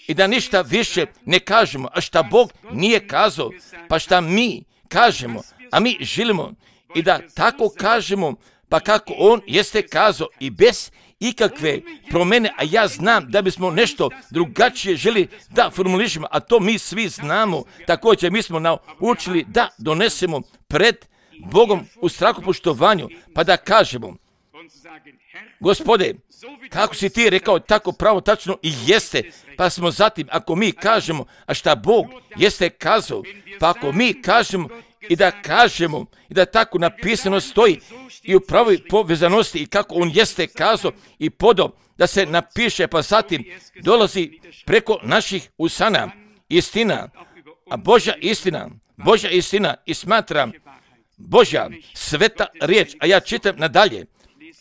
I da ništa više ne kažemo, a šta Bog nije kazao, pa šta mi kažemo, a mi želimo i da tako kažemo, pa kako on jeste kazao, i bez ikakve promjene. A ja znam da bismo nešto drugačije želi da formulišemo, a to mi svi znamo. Također mi smo naučili da donesemo pred Bogom u strahopoštovanju, pa da kažemo: Gospode, kako si ti rekao, tako pravo tačno i jeste. Pa smo zatim, ako mi kažemo, a šta Bog jeste kazao, pa ako mi kažemo i da kažemo i da tako napisano stoji i u pravoj povezanosti i kako on jeste kazao i podao da se napiše, pa zatim dolazi preko naših usana istina, a Božja istina, Božja istina, i smatram Božja sveta riječ, a ja čitam nadalje,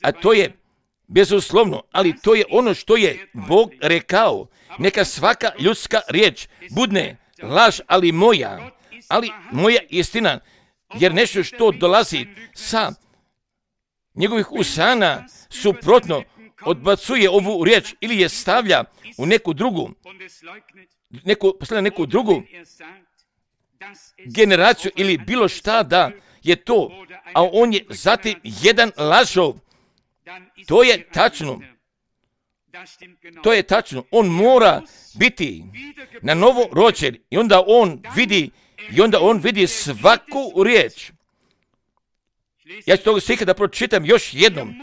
a to je bezuslovno, ali to je ono što je Bog rekao. Neka svaka ljudska riječ budne laž, ali moja, ali moja istina, jer nešto što dolazi sa njegovih usana suprotno odbacuje ovu riječ ili je stavlja u neku drugu, neku, postavlja neku drugu generaciju ili bilo šta da je to, a on je zatim jedan lažov. To je tačno. To je tačno. On mora biti na novo rođen i onda on vidi i onda on vidi svaku riječ. Ja ću toga stiha da pročitam još jednom.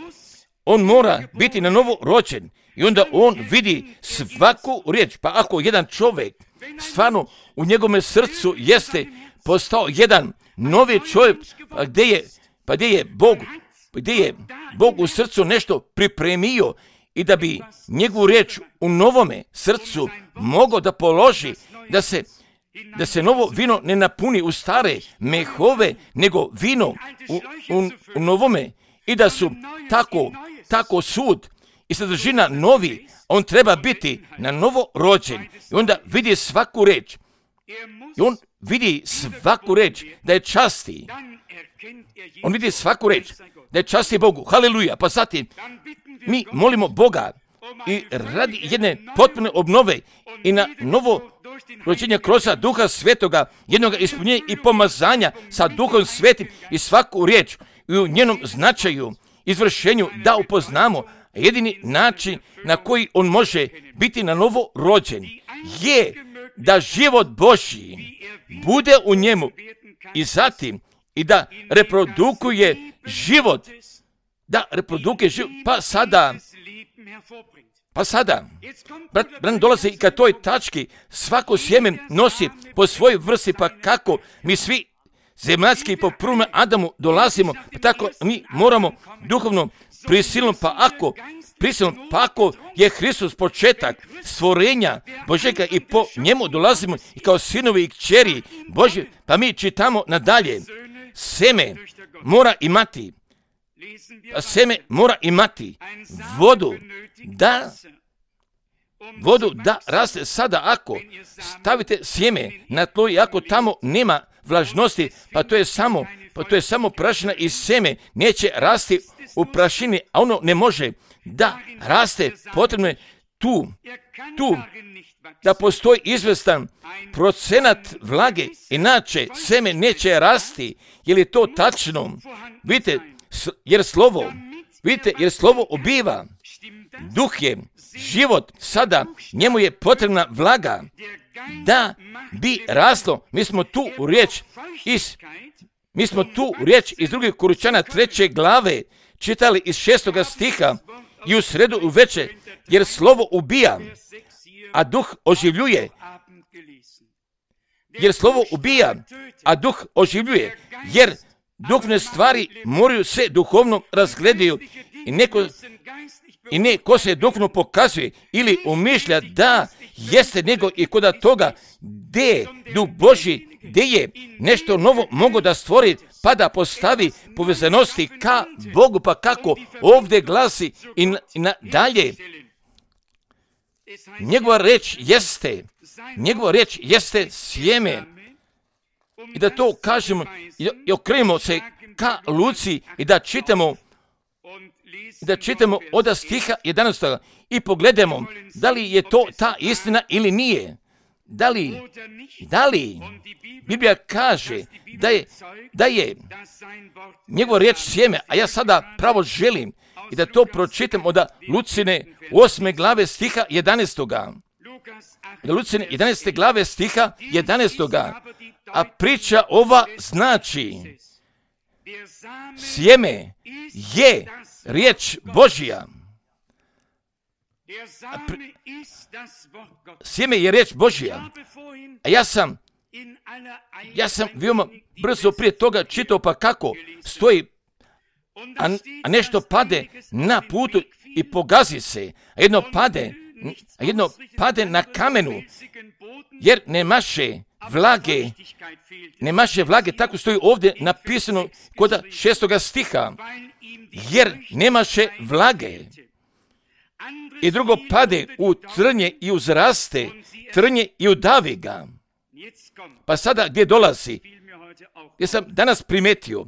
On mora biti na novo rođen i onda on vidi svaku riječ. Pa ako jedan čovjek stvarno u njegovom srcu jeste postao jedan novi čovjek, pa gdje je, pa gdje je Bog, gdje je Bog u srcu nešto pripremio i da bi njegovu riječ u novome srcu mogao da položi, da se da se novo vino ne napuni u stare mehove, nego vino u, u, u novome, i da su tako, tako sud i sadržina novi, on treba biti na novo rođen i onda vidi svaku reč. I on vidi svaku reč da je časti. On vidi svaku reč da je časti Bogu. Haleluja. Pa zatim mi molimo Boga i radi jedne potpune obnove i na novo rođenje kroz Duha Svetoga, jednog ispunjenja i pomazanja sa Duhom Svetim i svaku riječ i u njenom značaju, izvršenju da upoznamo. Jedini način na koji on može biti na novo rođen je da život Božji bude u njemu i zatim i da reprodukuje život, da reprodukuje život, pa sada, pa sada, brat, brat dolazi i ka toj tački, svako sjeme nosi po svojoj vrsti, pa kako mi svi zemaljski po prvome Adamu dolazimo, pa tako mi moramo duhovno prisilno, pa ako prisilno, pa ako je Hristos početak stvorenja Božjega i po njemu dolazimo i kao sinovi i kćeri Božje, pa mi čitamo nadalje, seme mora imati, pa seme mora imati vodu, da vodu da raste. Sada ako stavite sjeme na tlo i ako tamo nema vlažnosti, pa to je samo, pa to je samo prašina i seme neće rasti u prašini, a ono ne može da raste, potrebno je tu, tu, da postoji izvestan procenat vlage, inače seme neće rasti. Je li to tačno? Vidite, jer slovo, vidite, jer slovo ubiva, duh je život, sada njemu je potrebna vlaga da bi raslo. Mi smo tu u riječ iz, mi smo tu u riječ iz drugih Korinčana treće glave čitali iz šestoga stiha i u sredu uveče, jer slovo ubija, a duh oživljuje. Jer slovo ubija, a duh oživljuje, jer duhovne stvari moraju se duhovno razgledaju i neko i ne ko se duhovno pokazuje ili umišlja da jeste nego i koda toga gdje duh Božji, gdje je nešto novo mogo da stvori pa da postavi povezanosti ka Bogu, pa kako ovdje glasi i, na, i na dalje. Njegova reč jeste, njegova reč jeste sjeme. I da to kažemo i, i okrenemo se ka Luci i da čitamo i da čitamo od stiha jedanaestog i pogledamo da li je to ta istina ili nije. Da li, da li Biblija kaže da je, da je njegova riječ sjeme, a ja sada pravo želim i da to pročitam od Lucine osme glave stiha jedanaestoga. Lucine jedanaeste glave stiha jedanaestoga. A priča ova znači, sjeme je riječ Božja. Pri... Sjeme je riječ Božja. A ja sam, ja sam veoma brzo prije toga čitao pa kako stoji, a, a nešto pade na putu i pogazi se, a jedno pade, a jedno pade na kamenu, jer nemaše vlage, nemaše vlage, tako stoji ovdje napisano kod šestoga stiha, jer nemaše vlage. I drugo pade u trnje i uzraste, trnje i udavi ga. Pa sada gdje dolazi? Gdje sam danas primetio,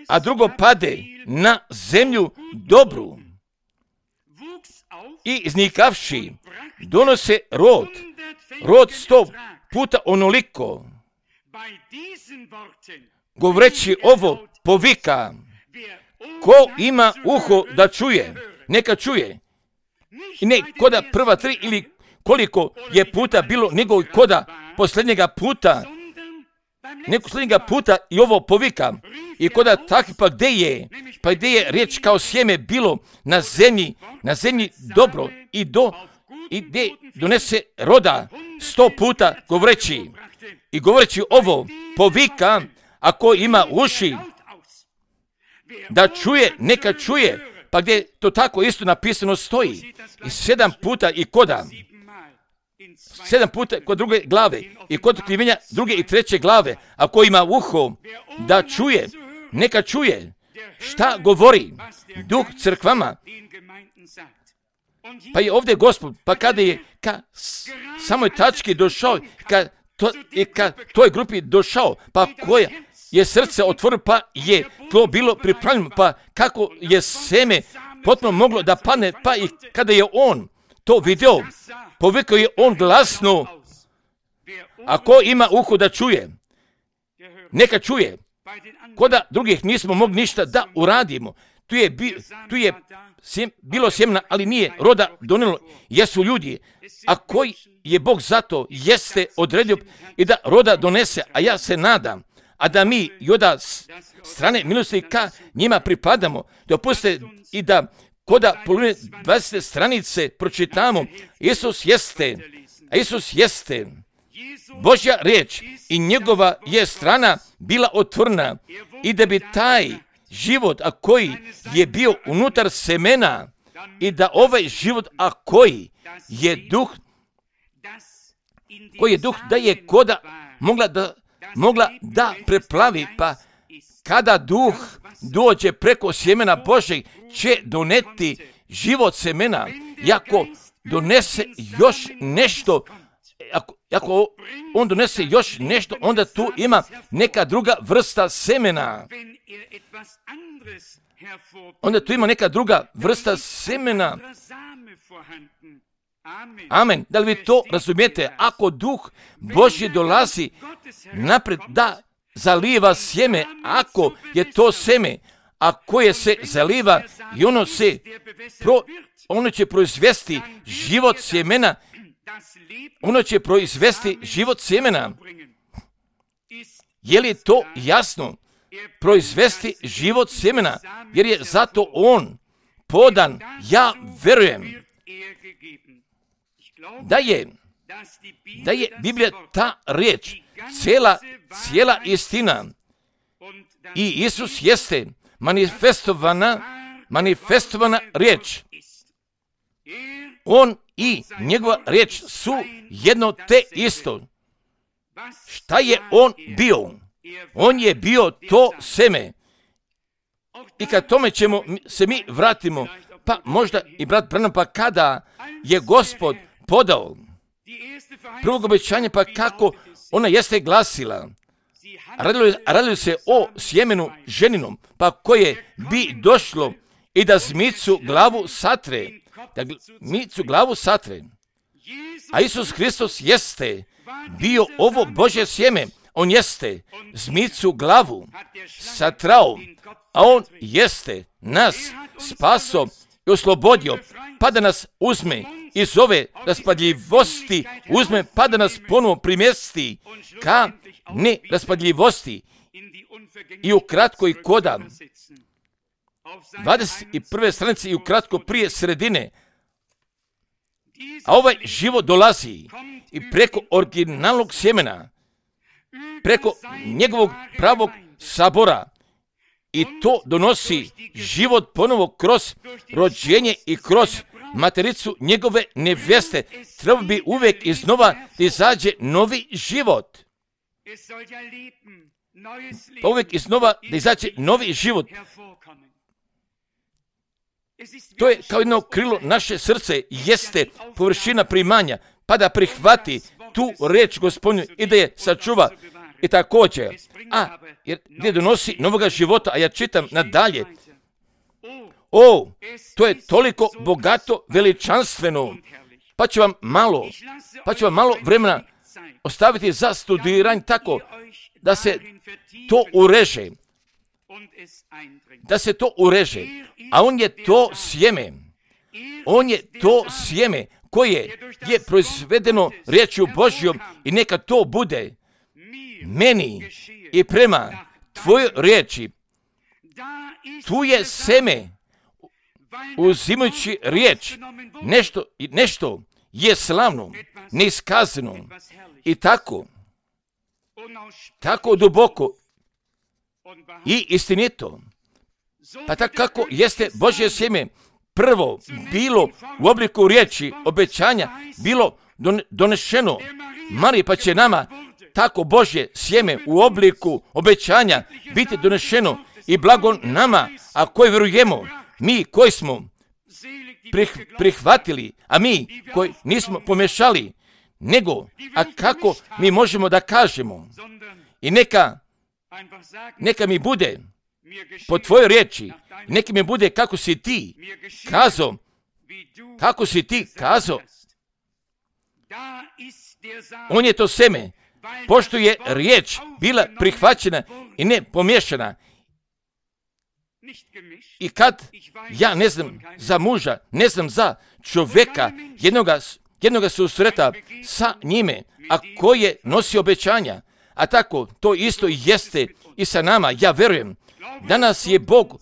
a drugo pade na zemlju dobru i iznikavši donose rod, rod sto puta onoliko. Govoreći ovo povika, ko ima uho da čuje, neka čuje. I ne koda prva tri ili koliko je puta bilo, nego koda posljednjega puta, neko posljednjega puta i ovo povika. I koda takvi, pa gdje je, pa gdje je riječ kao sjeme bilo na zemlji, na zemlji dobro i do, i gdje donese roda sto puta govoreći. I govoreći ovo povika, ako ima uši da čuje, neka čuje. Pa gdje to tako isto napisano stoji. I sedam puta i koda. sedam puta kod druge glave i kod otkrivenja druge i treće glave. A ko ima uho da čuje, neka čuje šta govori Duh crkvama. Pa je ovdje Gospod, pa kada je ka samoj tački došao, ka, to, i ka toj grupi došao, pa koja je srce otvorilo, pa je to bilo pripravljeno, pa kako je seme potpuno moglo da padne, pa i kada je on to vidio, povikao je on glasno, ako ima uho da čuje, neka čuje. Koda drugih nismo mogli ništa da uradimo. Tu je, bi, tu je sjem, bilo sjemena, ali nije roda donijelo. Jesu ljudi, a koji je Bog zato jeste odredio i da roda donese, a ja se nadam, a da mi i od strane milosti ka njima pripadamo. Dopustite i da koda polovine dvadesete stranice pročitamo, Isus jeste, a Isus jeste Božja riječ i njegova je strana bila otvorena i da bi taj život, a koji je bio unutar semena i da ovaj život, a koji je duh, koji je duh da je koda mogla da, mogla da preplavi, pa kada duh dođe preko sjemena Božeg će doneti život semena. I ako donese još nešto, ako, ako on donese još nešto, onda tu ima neka druga vrsta semena. Onda tu ima neka druga vrsta semena. Amen. Da li vi to razumijete? Ako Duh Božji dolazi napred da zaliva sjeme, ako je to seme, a koje se zaliva i ono se pro, ono će proizvesti život sjemena, ono će proizvesti život sjemena. Je li to jasno? Proizvesti život sjemena, jer je zato on podan. Ja verujem da je, da je Biblija ta riječ, cijela, cijela istina. I Isus jeste manifestovana, manifestovana riječ. On i njegova riječ su jedno te isto. Šta je on bio? On je bio to seme. I kad tome ćemo se mi vratimo, pa možda i brat Branham, pa kada je Gospod podao prvog obećanja, pa kako ona jeste glasila, radilo, radilo se o sjemenu ženinom, pa koje bi došlo i da zmicu glavu satre, da zmicu glavu satre. A Isus Hristos jeste bio ovo Božje sjeme, on jeste zmicu glavu satrao, a on jeste nas spaso i oslobodio, pa da nas uzme iz ove raspadljivosti, uzme pa da nas ponovo primjesti ka neraspadljivosti. I ukratko i koda dvadeset prve stranice i ukratko prije sredine, a ovaj život dolazi i preko originalnog sjemena, preko njegovog pravog sabora, i to donosi život ponovo kroz rođenje i kroz matericu njegove nevjeste. Treba bi uvijek iznova da izađe novi život. Pa uvijek iznova da izađe novi život. To je kao jedno krilo naše srce, jeste površina primanja, pa da prihvati tu reč Gospodnju i da je sačuva. I također, a jer gdje donosi novoga života, a ja čitam nadalje. O, to je toliko bogato, veličanstveno. Pa ću vam malo, pa ću vam malo vremena ostaviti za studiranje tako da se to ureže. Da se to ureže. A on je to sjeme. On je to sjeme koje je proizvedeno riječju Božjom i neka to bude meni i prema tvojoj riječi. Tu je seme, uzimajući riječ, nešto, nešto je slavno, neiskazano i tako, tako duboko i istinito. Pa tako kako jeste Božje sjeme prvo bilo u obliku riječi, obećanja, bilo donešeno Mariji, pa će nama tako Božje sjeme u obliku obećanja biti donešeno i blago nama, a koji vjerujemo, mi koji smo prihvatili, a mi koji nismo pomješali, nego, a kako mi možemo da kažemo, i neka, neka mi bude po tvojoj riječi, neka mi bude kako si ti kazao, kako si ti kazao. On je to seme, pošto je riječ bila prihvaćena i ne pomiješana. I kad ja ne znam za muža, ne znam za čovjeka, jednoga, jednoga susreta sa njime, a koji je nosio obećanja, a tako to isto jeste i sa nama. Ja vjerujem, danas je Bog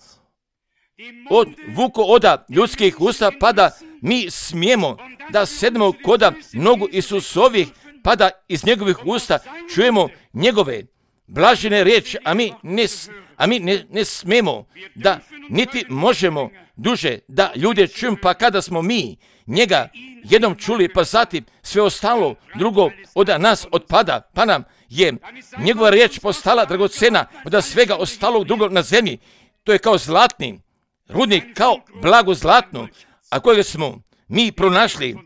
od vuko oda ljudskih usta, pa da mi smijemo da sednemo koda nogu Isusovih, pa da iz njegovih usta čujemo njegove blažene riječi, a mi ne, a mi ne, ne smijemo da niti možemo duže da ljude čujemo, pa kada smo mi njega jednom čuli, pa zatim sve ostalo drugo od nas otpada, pa nam je njegova riječ postala dragocena od svega ostalog drugog na zemlji. To je kao zlatni rudnik, kao blago zlatno, a kojega smo mi pronašli,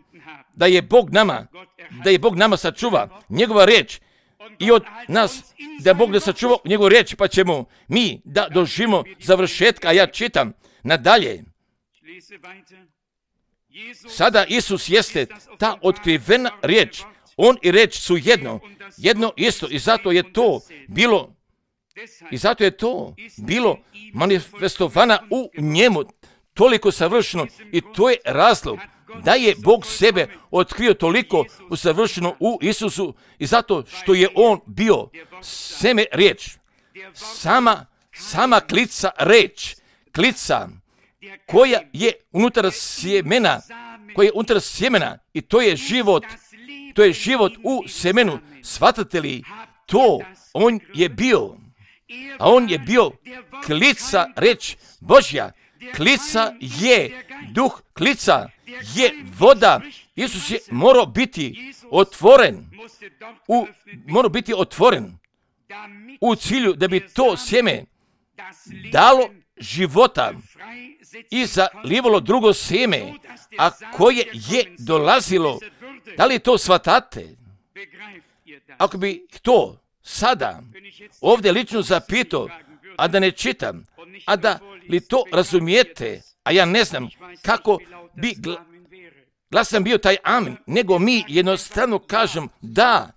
da je Bog nama, da je Bog nama sačuva njegova riječ i od nas, da Bog da sačuva njegovu riječ, pa ćemo mi da doživimo završetka. A ja čitam nadalje. Sada Isus jeste ta otkrivena riječ. On i riječ su jedno, jedno isto, i zato je to bilo, i zato je to bilo manifestovana u njemu toliko savršeno, i to je razlog da je Bog sebe otkrio toliko usavršeno u Isusu, i zato što je on bio seme riječ, sama, sama klica riječ, klica koja je unutar sjemena, koja je unutar sjemena, i to je život, to je život u semenu. Shvatate li to? On je bio, a on je bio klica riječ Božja. Klica je duh, klica je voda. Isus je morao biti otvoren, u, morao biti otvoren u cilju da bi to sjeme dalo života i zalivalo drugo sjeme, a koje je dolazilo. Da li to shvatate? Ako bi to sada ovdje lično zapitao, a da ne čitam, a da li to razumijete, a ja ne znam kako bi gla, glasan bio taj amin, nego mi jednostavno kažem da,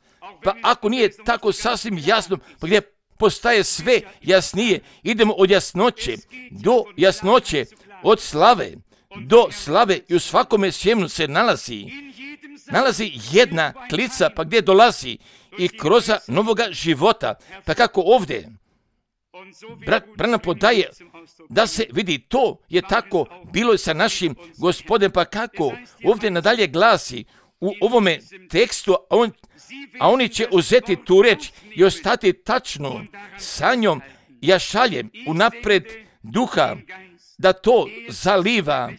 pa ako nije tako sasvim jasno, pa gdje postaje sve jasnije, idemo od jasnoće do jasnoće, od slave do slave, i u svakome sjemenu se nalazi, nalazi jedna klica, pa gdje dolazi i kroz novoga života, pa kako ovdje Brat Branham podaje da se vidi, to je tako bilo i sa našim Gospodem, pa kako ovdje nadalje glasi u ovome tekstu, a, on, a oni će uzeti tu reč i ostati tačno sa njom. Ja šaljem unapred duha da to zaliva,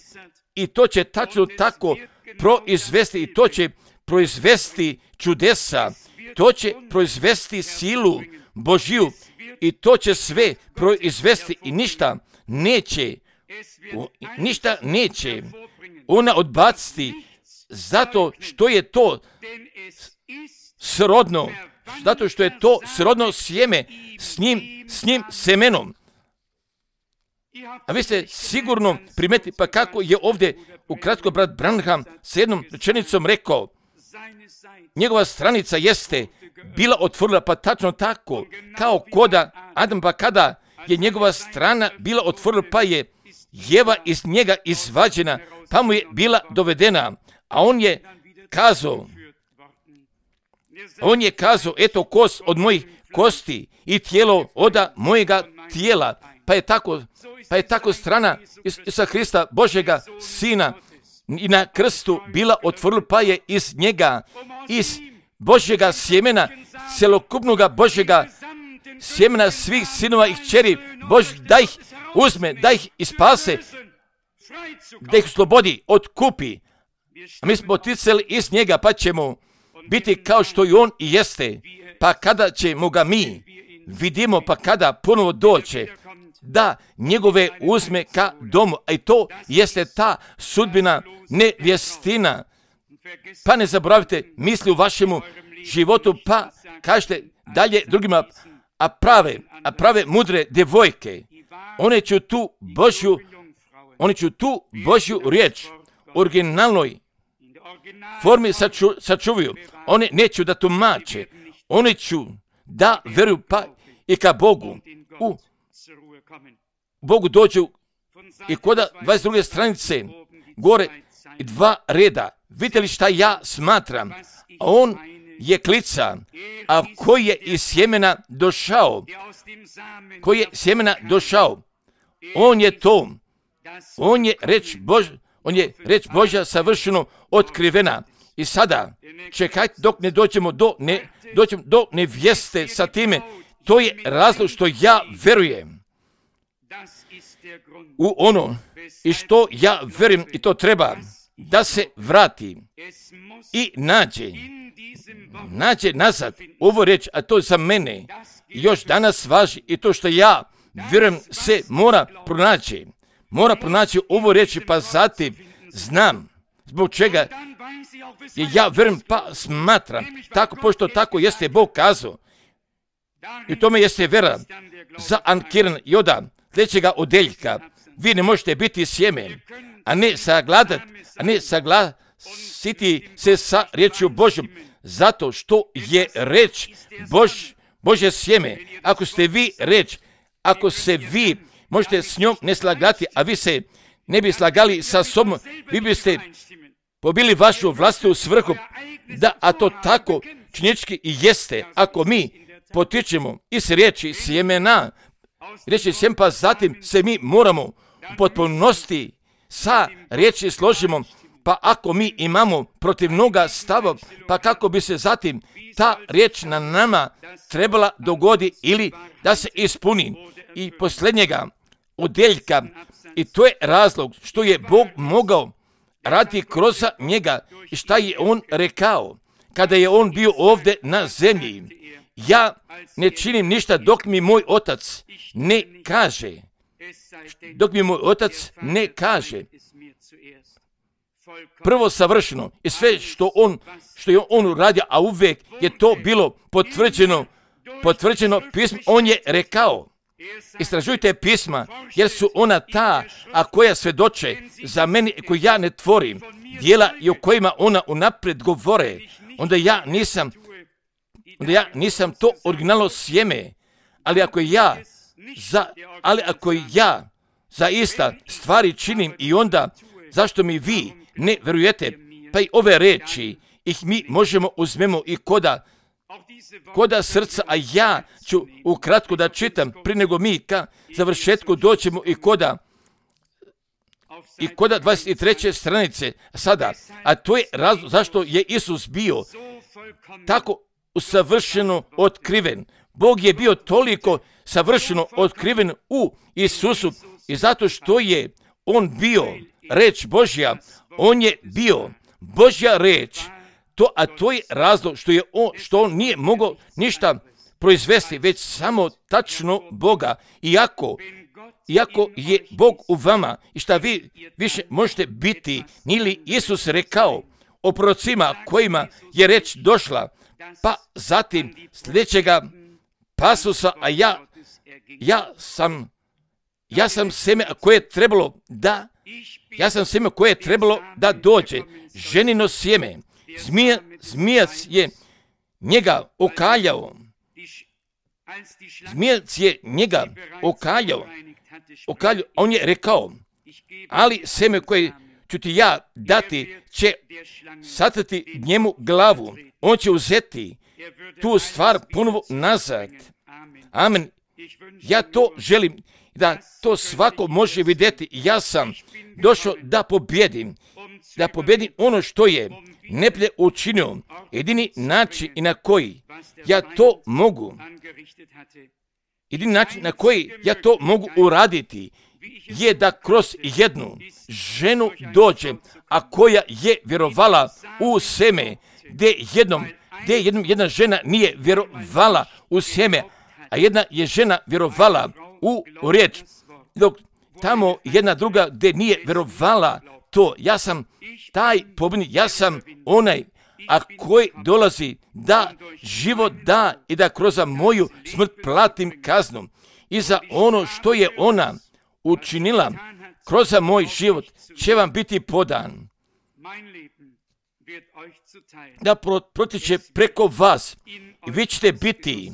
i to će tačno tako proizvesti, i to će proizvesti čudesa, to će proizvesti silu Božju, i to će sve proizvesti, i ništa neće, ništa neće ona odbaciti, zato što je to srodno, zato što je to srodno sjeme s njim, s njim semenom. A vi ste sigurno primetili, pa kako je ovdje ukratko brat Branham s jednom rečenicom rekao, njegova stranica jeste bila otvorila, pa tačno tako, kao koda Adam, pa kada je njegova strana bila otvorila, pa je Jeva iz njega izvađena, pa mu je bila dovedena, a on je kazao, on je kazao, eto kost od mojih kosti i tijelo oda mojega tijela, pa je tako, pa je tako strana Isusa Hrista, Božjega Sina, i na krstu bila otvorila, pa je iz njega, iz Božjega sjemena, celokupnoga Božjega sjemena svih sinova i kćeri, Bož da ih uzme, da ih ispase, da ih slobodi, otkupi, A mi smo poticali iz njega, pa ćemo biti kao što i on i jeste. Pa kada ćemo ga mi vidimo, pa kada ponovo doće, da njegove uzme ka domu. A i to jeste ta sudbina nevjestina. Pa ne zaboravite misli u vašemu životu, pa kažete dalje drugima, a prave, a prave mudre djevojke, one će tu Božju, one će tu Božju riječ originalnoj formi saču, sačuvaju. One neću da tumače, one ću da veruju pa i ka Bogu. U Bogu dođu i koda dvadeset druge stranice gore i dva reda. Vidite li šta ja smatram? A on je klica, a koji je iz sjemena došao, koji je sjemena došao, on je to, on je reč Bož, on je reč Božja savršeno otkrivena. I sada, čekajte dok ne dođemo do, ne, dođemo do nevjeste sa time, to je razlog što ja verujem u ono i što ja verujem i to treba da se vrati i nađe, nađe nazad ovo reč, a to za mene još danas važi i to što ja vjerujem se mora pronaći, mora pronaći ovo reči, pa zatim znam zbog čega i ja vjerujem pa smatram, tako pošto tako jeste Bog kazao i tome jeste vera za ankiran Joda sljedećega odeljka. Vi ne možete biti sjeme, a ne sagladat, a ne saglasiti se sa riječju Božjom, zato što je reč Bož, Božje sjeme. Ako ste vi reč, ako se vi možete s njom ne slagati, a vi se ne bi slagali sa sobom, vi biste pobili vašu vlastitu svrhu, da, a to tako činjenički i jeste, ako mi potičemo iz riječi sjemena, riječi sjem, pa zatim se mi moramo u potpunosti sa riječi složimo, pa ako mi imamo protivnoga stava, pa kako bi se zatim ta riječ na nama trebala dogodi ili da se ispuni. I posljednjega odjeljka, i to je razlog što je Bog mogao raditi kroz njega i šta je on rekao kada je on bio ovdje na zemlji. Ja ne činim ništa dok mi moj otac ne kaže. Dok mi moj otac ne kaže. Prvo savršeno i sve što on, što je on uradio, a uvijek je to bilo potvrđeno, potvrđeno pismo, on je rekao. Istražujte pisma, jer su ona ta, a koja svjedoče za meni, koju ja ne tvorim, dijela i o kojima ona unaprijed govore, onda ja nisam, onda ja nisam to originalno sjeme, ali ako ja, za, ali ako ja zaista stvari činim i onda zašto mi vi ne vjerujete, pa i ove reči, ih mi možemo uzmemo i koda, koda srca, a ja ću ukratko da čitam, prije nego mi ka završetku doćemo i koda, i koda dvadeset treće stranice sada, a to je razlog zašto je Isus bio tako savršeno otkriven. Bog je bio toliko savršeno otkriven u Isusu i zato što je on bio reč Božja, on je bio Božja reč, to, a to je razlog što je on, što on nije mogao ništa proizvesti, već samo tačno Boga. Iako, iako je Bog u vama i šta vi više možete biti, nije li Isus rekao o prorocima kojima je reč došla, pa zatim sljedećega pasusa, a ja, ja sam, ja sam seme koje je trebalo da, ja sam seme koje je trebalo da dođe, ženino sjeme. Zmija, zmijac je njega okaljao. Zmijac je njega okaljao. okaljao. On je rekao, ali seme koje ću ti ja dati će satrati njemu glavu. On će uzeti tu stvar ponovo nazad. Amen. Ja to želim da to svako može vidjeti. Ja sam došao da pobjedim. Da pobjedim ono što je neplje učinio. Jedini način i na koji ja to mogu jedini način na koji ja to mogu uraditi je da kroz jednu ženu dođe, a koja je vjerovala u seme, gdje jednom, gdje jednom jedna žena nije vjerovala u seme, a jedna je žena vjerovala u, u riječ, dok tamo jedna druga gdje nije vjerovala to. Ja sam taj pobjednik, ja sam onaj, a koji dolazi da život da i da kroz moju smrt platim kaznu. I za ono što je ona učinila kroz moj život će vam biti podan. Da protiče preko vas i vi ćete biti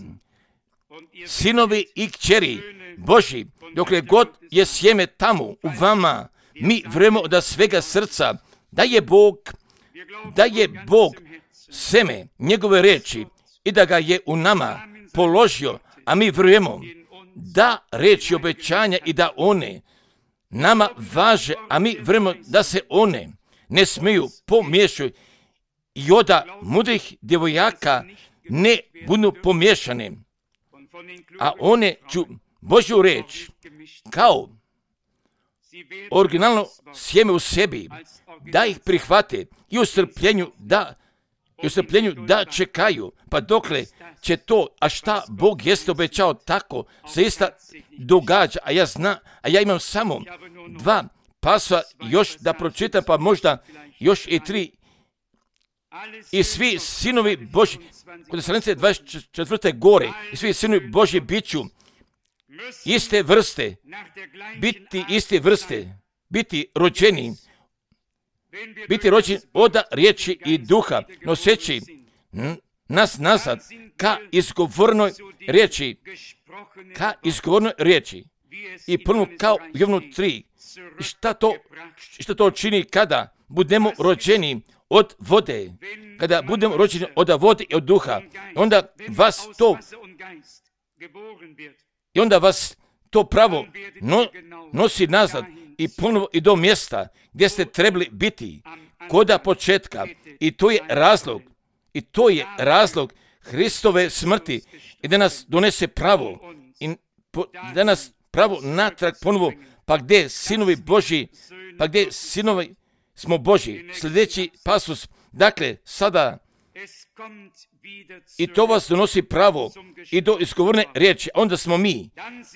sinovi i kćeri Božji. Dokle god je sjeme tamo u vama, mi vjerujemo od svega srca da je Bog, da je Bog seme njegove riječi i da ga je u nama položio, a mi vjerujemo da riječi obećanja i da one nama važe, a mi vjerujemo da se one ne smiju pomiješati i od mudrih djevojaka ne budu pomiješane, a one ću Božju riječ kao originalno sjeme u sebi, da ih prihvate i u strpljenju da, i u strpljenju da čekaju, pa dokle će to, a šta Bog jeste obećao, tako se isto događa, a ja zna, a ja imam samo dva pasa još da pročitam, pa možda još i tri. I svi sinovi Božji, kod stranice dvadeset četvrte gore, i svi sinovi Božji biću iste vrste, biti iste vrste, biti rođeni, biti rođeni od riječi i duha, noseći nas nazad ka izgovornoj riječi, ka izgovornoj riječi. I prvo kao Jovanu tri. I šta to, šta to čini kada budemo rođeni od vode, kada budemo rođeni od vode i od duha, onda vas to i onda vas to pravo no, nosi nazad i ponovo i do mjesta gdje ste trebali biti koda početka. I to je razlog, i to je razlog Hristove smrti i da nas donese pravo i po, da nas pravo natrag ponovo, pa gdje sinovi Božji, pa gdje sinovi smo Božji. Sljedeći pasus, dakle, sada i to vas donosi pravo i do izgovorne riječi, onda smo mi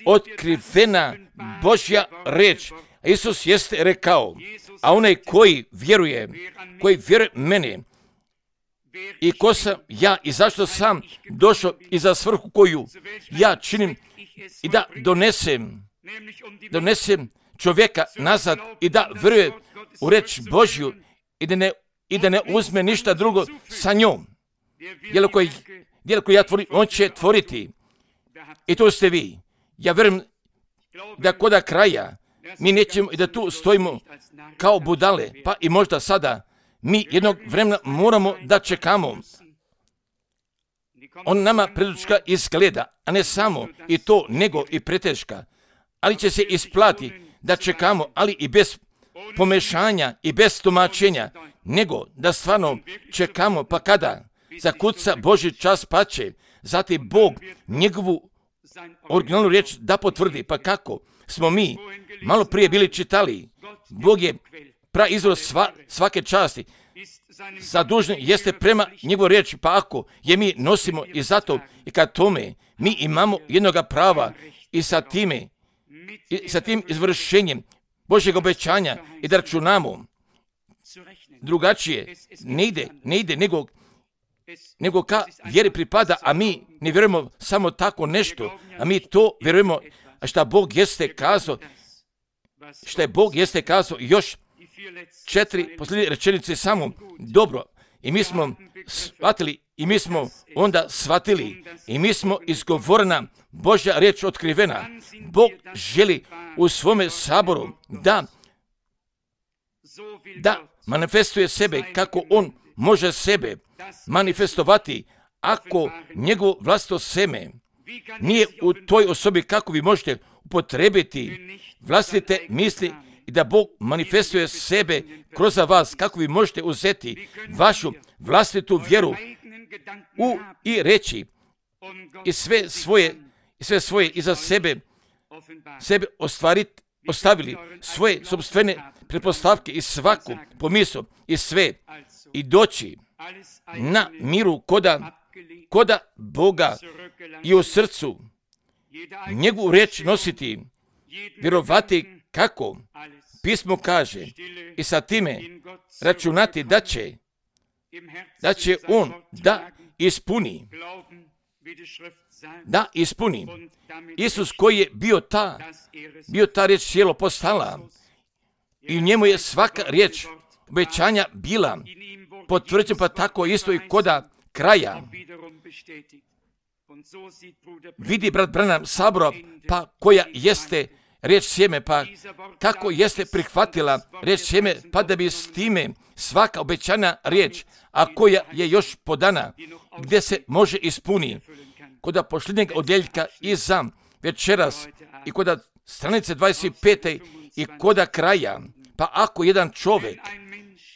otkrivena Božja riječ. Isus jeste rekao, a onaj koji vjeruje, koji vjeruje mene i ko sam ja i zašto sam došao i za svrhu koju ja činim i da donesem, donesem čovjeka nazad i da vjeruje u riječ Božju i da ne, i da ne uzme ništa drugo sa njom. Djelo koje, djelo koje ja tvorim, on će tvoriti. I to ste vi. Ja vjerujem da koda kraja mi nećemo i da tu stojimo kao budale, pa i možda sada mi jednog vremena moramo da čekamo. On nama predučka izgleda, a ne samo i to, nego i preteška. Ali će se isplati da čekamo, ali i bez pomešanja i bez tumačenja, nego da stvarno čekamo, pa kada zakuca Božji čas pače, zatim Bog njegovu originalnu riječ da potvrdi. Pa kako smo mi malo prije bili čitali, Bog je praizvor sva, svake časti, zadužen jeste prema njegovoj riječi, pa ako je mi nosimo i zato i kad tome mi imamo jednoga prava i sa time, i sa tim izvršenjem Božjeg obećanja i da računamo drugačije, ne ide, ne ide nego, nego ka vjeri pripada, a mi ne vjerujemo samo tako nešto, a mi to vjerujemo, a šta Bog jeste kazao, šta je Bog jeste kazao još četiri posljednje rečenice samo dobro. I mi smo shvatili, i mi smo onda shvatili, i mi smo izgovorena Božja riječ otkrivena. Bog želi u svome saboru da, da manifestuje sebe kako on može sebe manifestovati ako njegovo vlastito seme nije u toj osobi, kako vi možete upotrebiti vlastite misli i da Bog manifestuje sebe kroz vas, kako vi možete uzeti vašu vlastitu vjeru u i reći i sve svoje i sve svoje iza sebe, sebe ostvariti, ostavili svoje sopstvene pretpostavke i svaku pomisao i sve i doći na miru koda, koda Boga i u srcu njegovu riječ nositi, vjerovati kako pismo kaže i sa time računati da će, da će on da ispuni, da ispuni. Isus koji je bio ta, bio ta riječ cijelo postala i u njemu je svaka riječ obećanja bila potvrđena, pa tako isto i koda kraja. Vidi brat Branham sabora, pa koja jeste riječ sjeme, pa kako jeste prihvatila riječ sjeme, pa da bi s time svaka obećana riječ, a koja je još podana, gdje se može ispuni, koda posljednjeg odjeljka iza večeras i koda stranice dvadeset pet i koda kraja, pa ako jedan čovjek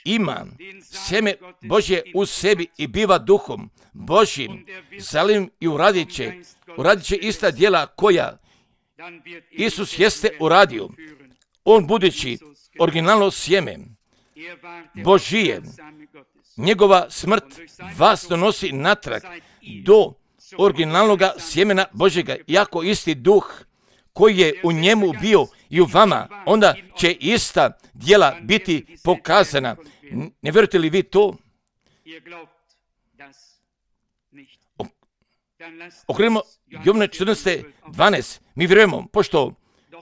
ima sjeme Božje u sebi i biva duhom Božjim, zalim i uradit će, uradit će ista djela koja Isus jeste uradio. On budući originalno sjeme Božije, njegova smrt vas donosi natrag do originalnog sjemena Božjega. Iako isti duh koji je u njemu bio i u vama, onda će ista djela biti pokazana. Ne vjerujete li vi to? Okrenimo Jovana četrnaest dvanaest. Mi vjerujemo, pošto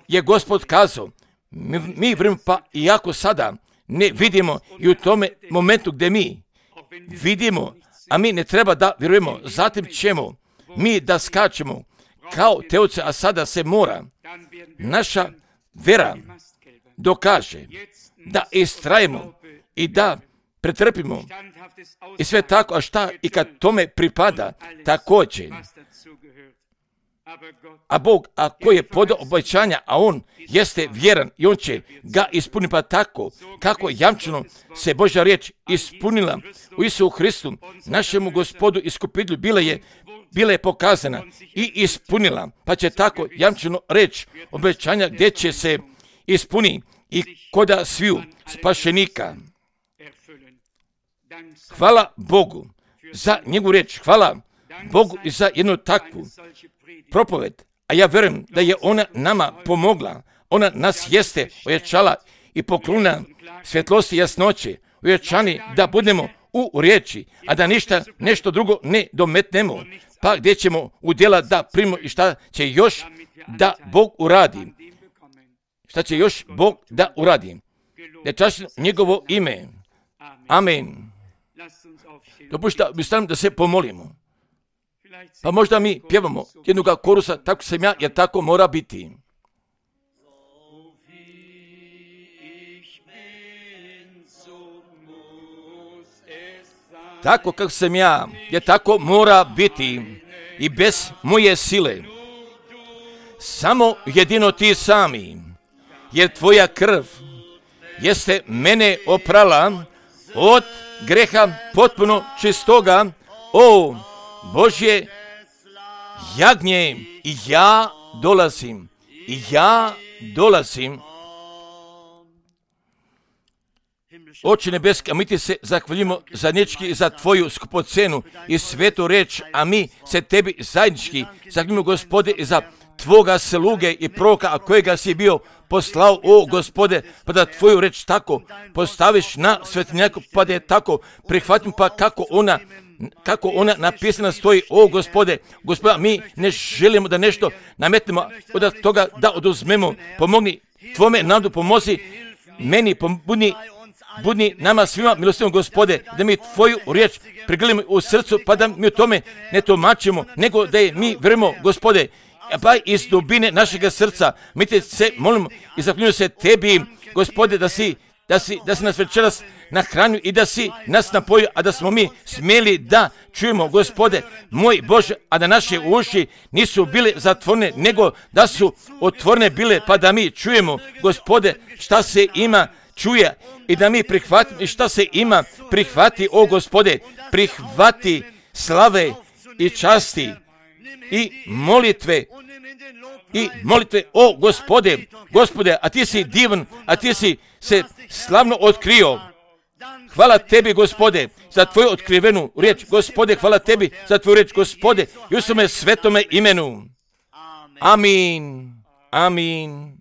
je Gospod kazao, mi, mi vjerujemo, pa iako sada ne vidimo i u tome momentu gdje mi vidimo, a mi ne treba da vjerujemo, zatim ćemo mi da skačemo kao teoce, a sada se mora naša vera dokaže da istrajemo i da pretrpimo i sve tako, a šta i kad tome pripada također. A Bog, a koji je podao obećanja, a on jeste vjeran i on će ga ispuniti, pa tako kako jamčeno se Božja riječ ispunila u Isusu Hristu, našemu Gospodu iskupitelju, bila je, bila je pokazana i ispunila, pa će tako jamčeno reći obećanja gdje će se ispuni i koda sviju spašenika. Hvala Bogu za njegovu riječ, hvala Bogu i za jednu takvu propoved, a ja vjerujem da je ona nama pomogla. Ona nas jeste ojačala i poklona svjetlosti i jasnoće, ojačani da budemo u riječi, a da ništa, nešto drugo ne dometnemo, pa gdje ćemo u djela da primimo i šta će još da Bog uradi. Šta će još Bog da uradi. Nečašno njegovo ime. Amen. Dopušta mi stavim da se pomolimo. Pa možda mi pjevamo jednoga korusa, tako sam ja, jer tako mora biti. Tako kako sam ja, jer tako mora biti i bez moje sile. Samo jedino ti sami, jer tvoja krv jeste mene oprala od greha potpuno čistoga, o Božje jagnje, i ja dolazim, i ja dolazim. Oče nebeski, a mi ti se zahvaljujemo zajednički za tvoju skupocenu i svetu reč, a mi se tebi zajednički zahvaljujemo, Gospode, i za tvoga sluge i proroka, a kojega si bio poslao, o Gospode, pa da tvoju reč tako postaviš na svetinjaku, pa da je tako prihvatim, pa kako ona kako ona napisana stoji, o Gospode, Gospoda, mi ne želimo da nešto nametnemo od toga da oduzmemo. Pomogni tvome nadu, pomozi meni, budni, budni nama svima milostivom, Gospode, da mi tvoju riječ prigledamo u srcu, pa da mi o tome ne tumačimo, nego da je mi vjerujemo, Gospode, pa iz dubine našega srca mi te se molimo i zahvaljujemo se tebi, Gospode, da si Da si, da si nas večeras nahranio i da si nas napojio, a da smo mi smjeli da čujemo, Gospode, moj Bože, a da naše uši nisu bile zatvorene, nego da su otvorene bile, pa da mi čujemo, Gospode, šta se ima čuje i da mi prihvatimo i šta se ima prihvati, o Gospode, prihvati slave i časti i molitve i molitve, o Gospode, Gospode, a ti si divan, a ti si se slavno otkrio. Hvala tebi, Gospode, za tvoju otkrivenu riječ. Gospode, hvala tebi za tvoju riječ, Gospode, i u svome svetome imenu. Amin. Amin.